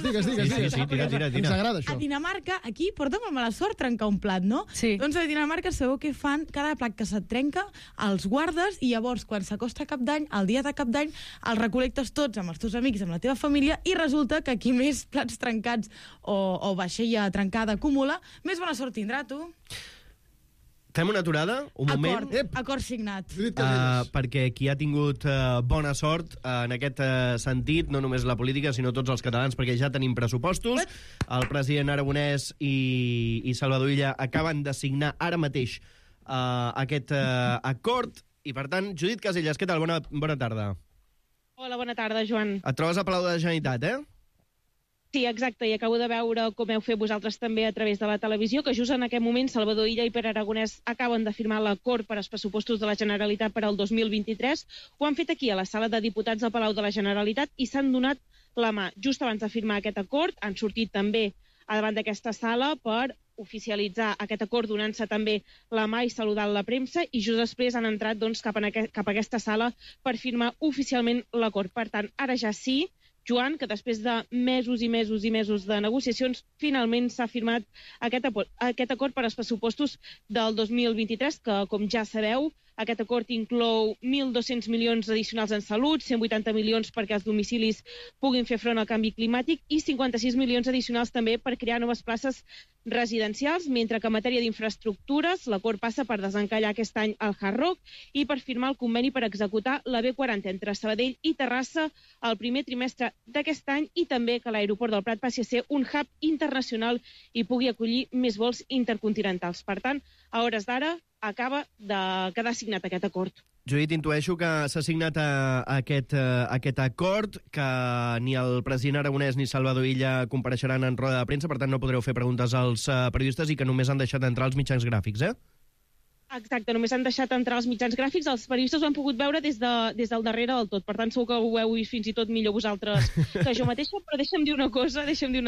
Digues. Sí, tira. Ens agrada, això. A Dinamarca, aquí, porta molt mala sort trencar un plat, no? Sí. Doncs a Dinamarca sabeu què fan? Cada plat que se't trenca, els guardes i llavors, quan s'acosta Cap d'Any, el dia de Cap d'any, els recol·lectes tots amb els teus amics, amb la teva família, i resulta que qui més plats trencats o vaixella trencada acumula, més bona sort tindrà, tu. Fem una aturada, un moment. Acord signat. Perquè qui ha tingut bona sort en aquest sentit, no només la política, sinó tots els catalans, perquè ja tenim pressupostos. El president Aragonès i Salvador Illa acaben de signar ara mateix aquest acord. I, per tant, Judit Casellas, què tal? Bona tarda. Hola, bona tarda, Joan. Et trobes a Palau de la Generalitat, eh? Sí, exacte, i acabo de veure com heu fet vosaltres també a través de la televisió, que just en aquest moment Salvador Illa i Pere Aragonès acaben de firmar l'acord per als pressupostos de la Generalitat per al 2023. Ho han fet aquí, a la sala de diputats del Palau de la Generalitat, i s'han donat la mà. Just abans de firmar aquest acord, han sortit també a davant d'aquesta sala per oficialitzar aquest acord, donant-se també la mà i saludant la premsa, i just després han entrat cap a aquesta sala per firmar oficialment l'acord. Per tant, ara ja sí, Joan, que després de mesos i mesos i mesos de negociacions, finalment s'ha firmat aquest acord per als pressupostos del 2023, que, com ja sabeu, aquest acord inclou 1.200 milions addicionals en salut, 180 milions perquè els domicilis puguin fer front al canvi climàtic i 56 milions addicionals també per crear noves places residencials, mentre que en matèria d'infraestructures l'acord passa per desencallar aquest any el Hard Rock i per firmar el conveni per executar la B40 entre Sabadell i Terrassa el primer trimestre d'aquest any, i també que l'aeroport del Prat passi a ser un hub internacional i pugui acollir més vols intercontinentals. Per tant, a hores d'ara acaba de quedar signat aquest acord. Judit, intueixo que s'ha signat aquest acord, que ni el president aragonès ni Salvador Illa compareixeran en roda de premsa, per tant no podreu fer preguntes als periodistes i que només han deixat entrar els mitjans gràfics, eh? Exacte, només han deixat entrar els mitjans gràfics, els periodistes ho han pogut veure des del darrere del tot, per tant segur que ho heu vist fins i tot millor vosaltres que jo mateixa, però deixa'm dir una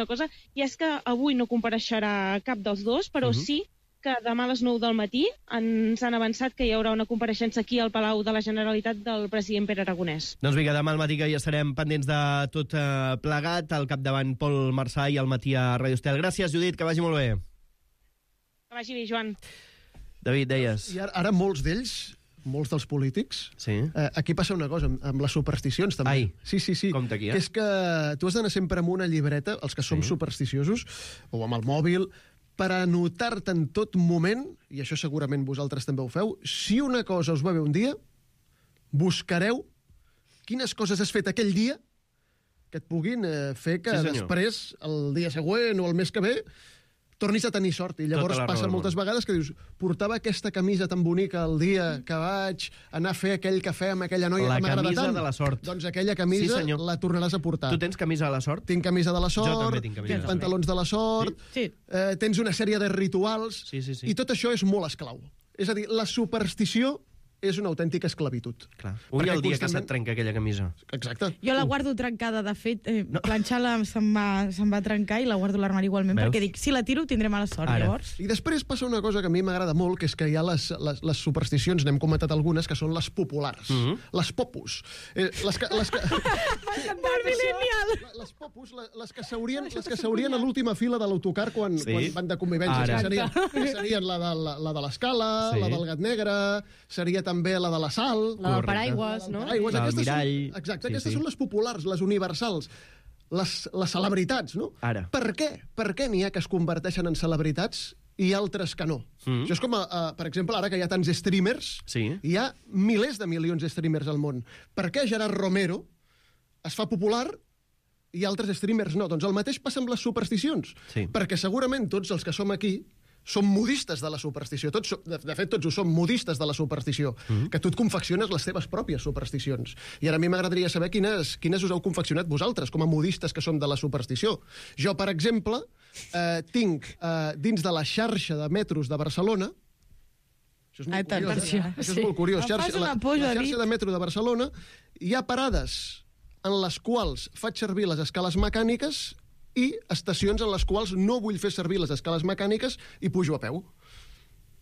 cosa, i és que avui no compareixerà cap dels dos, però sí que demà a les 9 del matí ens han avançat que hi haurà una compareixença aquí al Palau de la Generalitat del president Pere Aragonès. Doncs vinga, demà al matí que ja estarem pendents de tot plegat, al capdavant Pol Marçà i al matí a Radio Estel. Gràcies, Judit, que vagi molt bé. Que vagi bé, Joan. David, deies... I ara molts d'ells, molts dels polítics, aquí passa una cosa, amb les supersticions també. Ai, sí. compte aquí, que és que tu has d'anar sempre amb una llibreta, els que som supersticiosos, o amb el mòbil, per anotar-te en tot moment, i això segurament vosaltres també ho feu, si una cosa us va bé un dia, buscareu quines coses has fet aquell dia que et puguin fer que després, el dia següent o el mes que ve, tornis a tenir sort. I llavors passa moltes vegades que dius, portava aquesta camisa tan bonica el dia que vaig anar a fer aquell cafè amb aquella noia que m'agrada tant. La camisa de la sort. Doncs aquella camisa la tornaràs a portar. Tu tens camisa de la sort? Tinc camisa de la sort. Jo també tinc camisa de la sort. Pantalons de la sort. Sí. Tens una sèrie de rituals. I tot això és molt esclau. És a dir, la superstició és una autèntica esclavitud. Clar. Ui, el dia que se't trenca aquella camisa. Exacte. Jo la guardo trencada, de fet, planxar-la se'm va trencar i la guardo a l'armari igualment, perquè dic, si la tiro tindré mala sort, llavors. I després passa una cosa que a mi m'agrada molt, que és que hi ha les supersticions, n'hem comentat algunes, que són les populars, les popus. Les popus, les que seurien a l'última fila de l'autocar quan van de convivència. Serien la de l'escala, la del gat negre, seria també la de la sal. La del paraigües, no? El mirall. Exacte, aquestes són les populars, les universals, les celebritats, no? Ara. Per què? Per què n'hi ha que es converteixen en celebritats i altres que no? Això és com, per exemple, ara que hi ha tants streamers, hi ha milers de milions de streamers al món. Per què Gerard Romero es fa popular i altres streamers no? Doncs el mateix passa amb les supersticions. Perquè segurament tots els que som aquí som modistes de la superstició. De fet, tots ho som modistes de la superstició. Que tu et confecciones les teves pròpies supersticions. I ara a mi m'agradaria saber quines us heu confeccionat vosaltres, com a modistes que som de la superstició. Jo, per exemple, tinc dins de la xarxa de metros de Barcelona, això és molt curiós, això és molt curiós, la xarxa de metro de Barcelona, hi ha parades en les quals faig servir les escales mecàniques i estacions en les quals no vull fer servir les escales mecàniques i pujo a peu.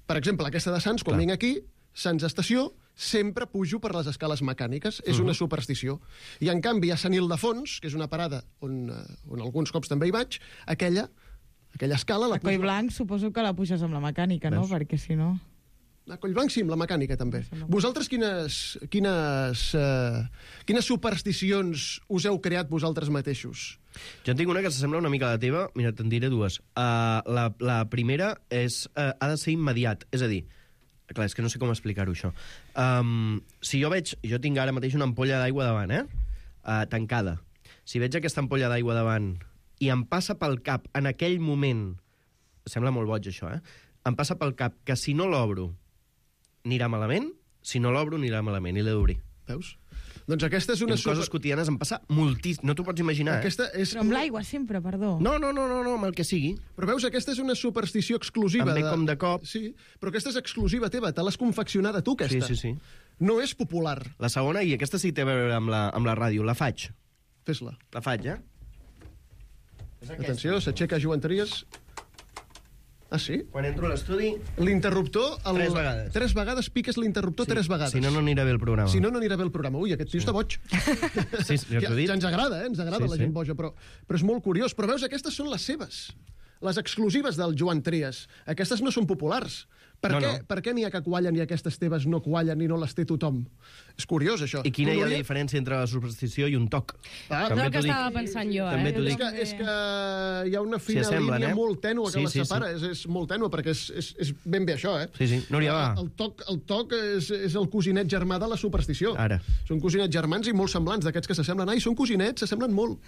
Per exemple, aquesta de Sants, quan vinc aquí, Sants Estació, sempre pujo per les escales mecàniques. És una superstició. I, en canvi, a Sant Ildefons, que és una parada on alguns cops també hi vaig, aquella escala la pujo... A Collblanc suposo que la puges amb la mecànica, no? Perquè si no... A Collblanc sí, amb la mecànica també. Vosaltres quines supersticions us heu creat vosaltres mateixos? Jo en tinc una que s'assembla una mica a la teva. Mira, te'n diré dues. La primera ha de ser immediat. És a dir, clar, és que no sé com explicar-ho, això. Si jo tinc ara mateix una ampolla d'aigua davant, tancada. Si veig aquesta ampolla d'aigua davant i em passa pel cap en aquell moment, sembla molt boig això, em passa pel cap que si no l'obro anirà malament, si no l'obro anirà malament, i l'he d'obrir. Veus? Doncs aquesta és una... coses quotidianes em passa moltíssim, no t'ho pots imaginar, Aquesta és... Però amb l'aigua sempre, perdó. No, amb el que sigui. Però veus, aquesta és una superstició exclusiva. Em ve com de cop. Sí, però aquesta és exclusiva teva, te l'has confeccionada tu, aquesta. Sí. No és popular. La segona, i aquesta sí que té a veure amb la ràdio, la faig. Fes-la. La faig, Atenció, s'aixeca Joan Trias... Ah, sí? Quan entro a l'estudi... L'interruptor... 3 vegades. 3 vegades piques l'interruptor 3 vegades. Si no, no anirà bé el programa. Si no, no anirà bé el programa. Ui, aquest tio està boig. Sí, ja t'ho he dit. Ja ens agrada, ens agrada la gent boja, però és molt curiós. Però veus, aquestes són les seves. Les exclusives del Joan Trias. Aquestes no són populars. Per què n'hi ha que quallen i aquestes teves no quallen i no les té tothom? És curiós, això. I quina hi ha la diferència entre la superstició i un toc? És el que estava pensant jo, També t'ho dic. És que hi ha una fina línia molt tènua que les separa. És molt tènua, perquè és ben bé això, Sí. Núria, va. El toc és el cosinet germà de la superstició. Ara. Són cosinets germans i molt semblants, d'aquests que s'assemblen. Ai, són cosinets, s'assemblen molt.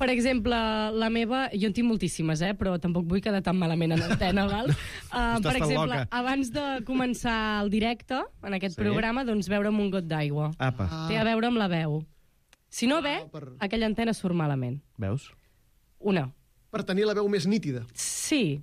Per exemple, la meva... Jo en tinc moltíssimes, però tampoc vull quedar tan malament en antena, val? Per exemple, abans de començar el directe, en aquest programa, doncs beure'm un got d'aigua. Té a veure amb la veu. Si no ve, aquella antena surt malament. Veus? Una. Per tenir la veu més nítida. Sí.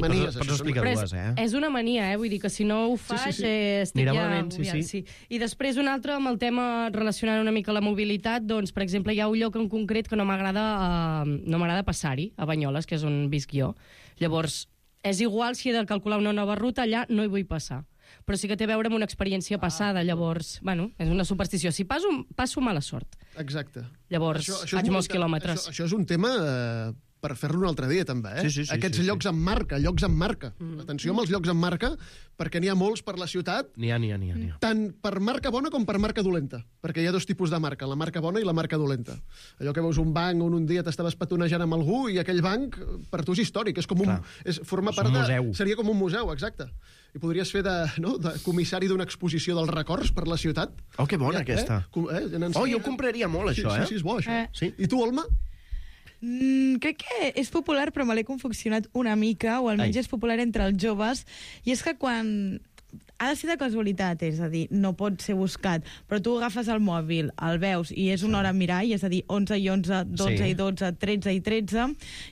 Manies, pots explicar dues, És una mania, vull dir que si no ho faig estic anirà ja... malament, sí. I després un altre amb el tema relacionant una mica la mobilitat, doncs, per exemple, hi ha un lloc en concret que no m'agrada passar-hi, a Banyoles, que és on visc jo. Llavors, és igual si he de calcular una nova ruta, allà no hi vull passar. Però sí que té a veure amb una experiència passada, llavors, bueno, és una superstició. Si passo mala sort. Exacte. Llavors, faig molts quilòmetres. Això és un tema... per fer-lo un altre dia, també, Aquests llocs amb marca, Atenció amb els llocs amb marca, perquè n'hi ha molts per la ciutat. N'hi ha. Tant per marca bona com per marca dolenta, perquè hi ha dos tipus de marca, la marca bona i la marca dolenta. Allò que veus un banc on un dia t'estaves petonejant amb algú i aquell banc, per tu és històric, és com forma part de... Seria com un museu, exacte. I podries fer de comissari d'una exposició dels records per la ciutat. Oh, que bona, aquesta. Jo compraria molt, això, Sí, és bo, això. I tu, Olma? Crec que és popular, però me l'he confeccionat una mica, o almenys és popular entre els joves, i és que quan... Ha de ser de casualitat, és a dir, no pot ser buscat, però tu agafes el mòbil, el veus, i és una hora a mirar, i és a dir, 11 i 11, 12 i 12, 13 i 13,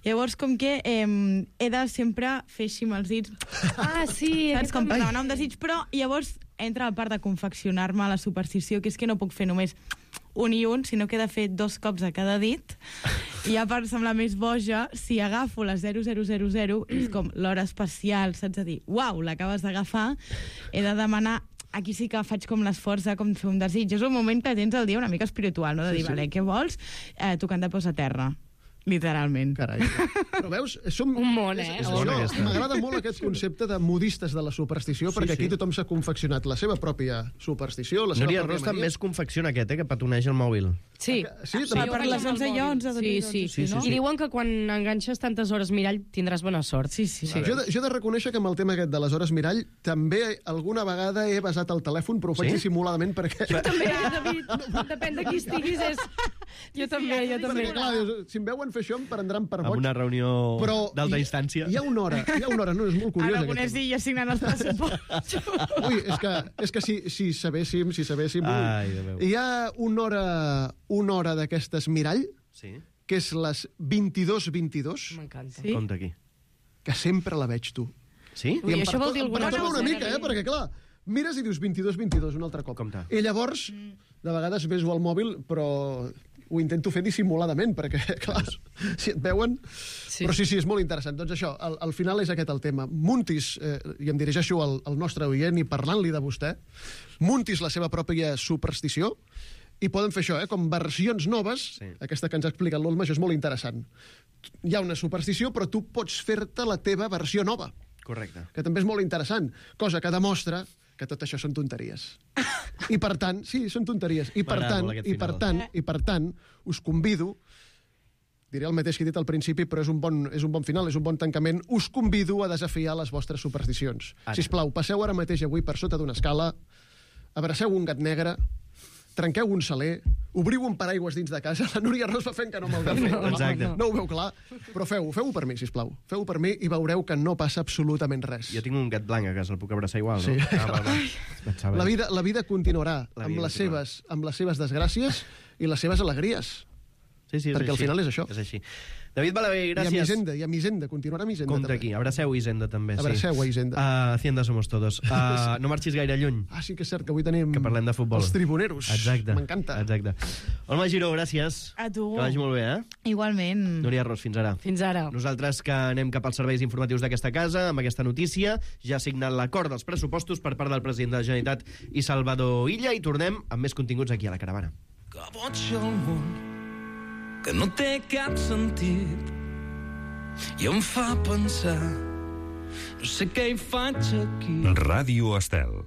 llavors com que he de sempre fer així amb els dits. Saps? Com per demanar un desig, però llavors entra la part de confeccionar-me la superstició, que és que no puc fer només un i un, sinó que he de fer 2 cops a cada dit, i ja per semblar més boja, si agafo la 0000, és com l'hora especial, saps? A dir, uau, l'acabes d'agafar, he de demanar... Aquí sí que faig com l'esforç de com fer un desig. És un moment que tens el dia una mica espiritual, no? De dir, vale, què vols? Tocant de peus a terra. Literalment. Carai. Però veus, som... Un món, M'agrada molt aquest concepte de modistes de la superstició, perquè aquí tothom s'ha confeccionat la seva pròpia superstició, la seva Núria pròpia Ros també es confecciona aquest, que petoneja el mòbil. Sí, per les 11 i 11. Sí. I diuen que quan enganxes tantes hores mirall tindràs bona sort. Sí. Jo he de reconèixer que amb el tema aquest de les hores mirall també alguna vegada he basat el telèfon, però ho faig dissimuladament perquè... Jo també, David. Depèn de qui estiguis. Jo també. Perquè, clar, si em veuen fer això em prendran per boig. Amb una reunió d'alta instància. Hi ha una hora, no, és molt curiós. Aragonès dia signant els pressupostos. Ui, és que si sabéssim... Hi ha una hora d'aquestes mirall, que és les 22:22. M'encanta. Compte aquí. Que sempre la veig, tu. Sí? Ui, això vol dir alguna cosa. Una mica, perquè clar, mires i dius 22:22 un altre cop. Compte. I llavors, de vegades beso al mòbil, però ho intento fer dissimuladament, perquè, clar, si et veuen... Però sí, és molt interessant. Doncs això, al final és aquest el tema. Muntis, i em dirigeixo al nostre oient i parlant-li de vostè, muntis la seva pròpia superstició, i poden fer això, com versions noves, aquesta que ens ha explicat l'Olma, això és molt interessant. Hi ha una superstició, però tu pots fer-te la teva versió nova. Correcte. Que també és molt interessant, cosa que demostra que tot això són tonteries. I per tant, sí, són tonteries. I per tant, us convido, diré el mateix que he dit al principi, però és un bon final, és un bon tancament, us convido a desafiar les vostres supersticions. Sisplau, passeu ara mateix avui per sota d'una escala, abraceu un gat negre, trenqueu un saler, obriu un paraigües dins de casa, la Núria Ros va fent que no me'l veu fer. No ho veu clar, però feu-ho per mi, sisplau. Feu-ho per mi i veureu que no passa absolutament res. Jo tinc un gat blanc a casa, el puc abraçar igual, no? Sí. La vida continuarà amb les seves desgràcies i les seves alegries. Sí, perquè al final és això. És així. David Balaguer, gràcies. I a Hisenda, continuarà amb Hisenda. Contra aquí, abraceu Hisenda també. Abraceu a Hisenda. Hacienda somos todos. No marxis gaire lluny. Sí que és cert que avui tenim... Que parlem de futbol. Els tribuneros. Exacte. M'encanta. Exacte. Olma Giró, gràcies. A tu. Que vagi molt bé, Igualment. Núria Ros, fins ara. Fins ara. Nosaltres que anem cap als serveis informatius d'aquesta casa, amb aquesta notícia, ja ha signat l'acord dels pressupostos per part del president de la Generalitat i Salvador Illa, i tornem amb més continguts aquí a la Caravana. Que boig el món, que no té cap sentit, i em fa pensar, no sé què hi faig aquí. Ràdio Estel.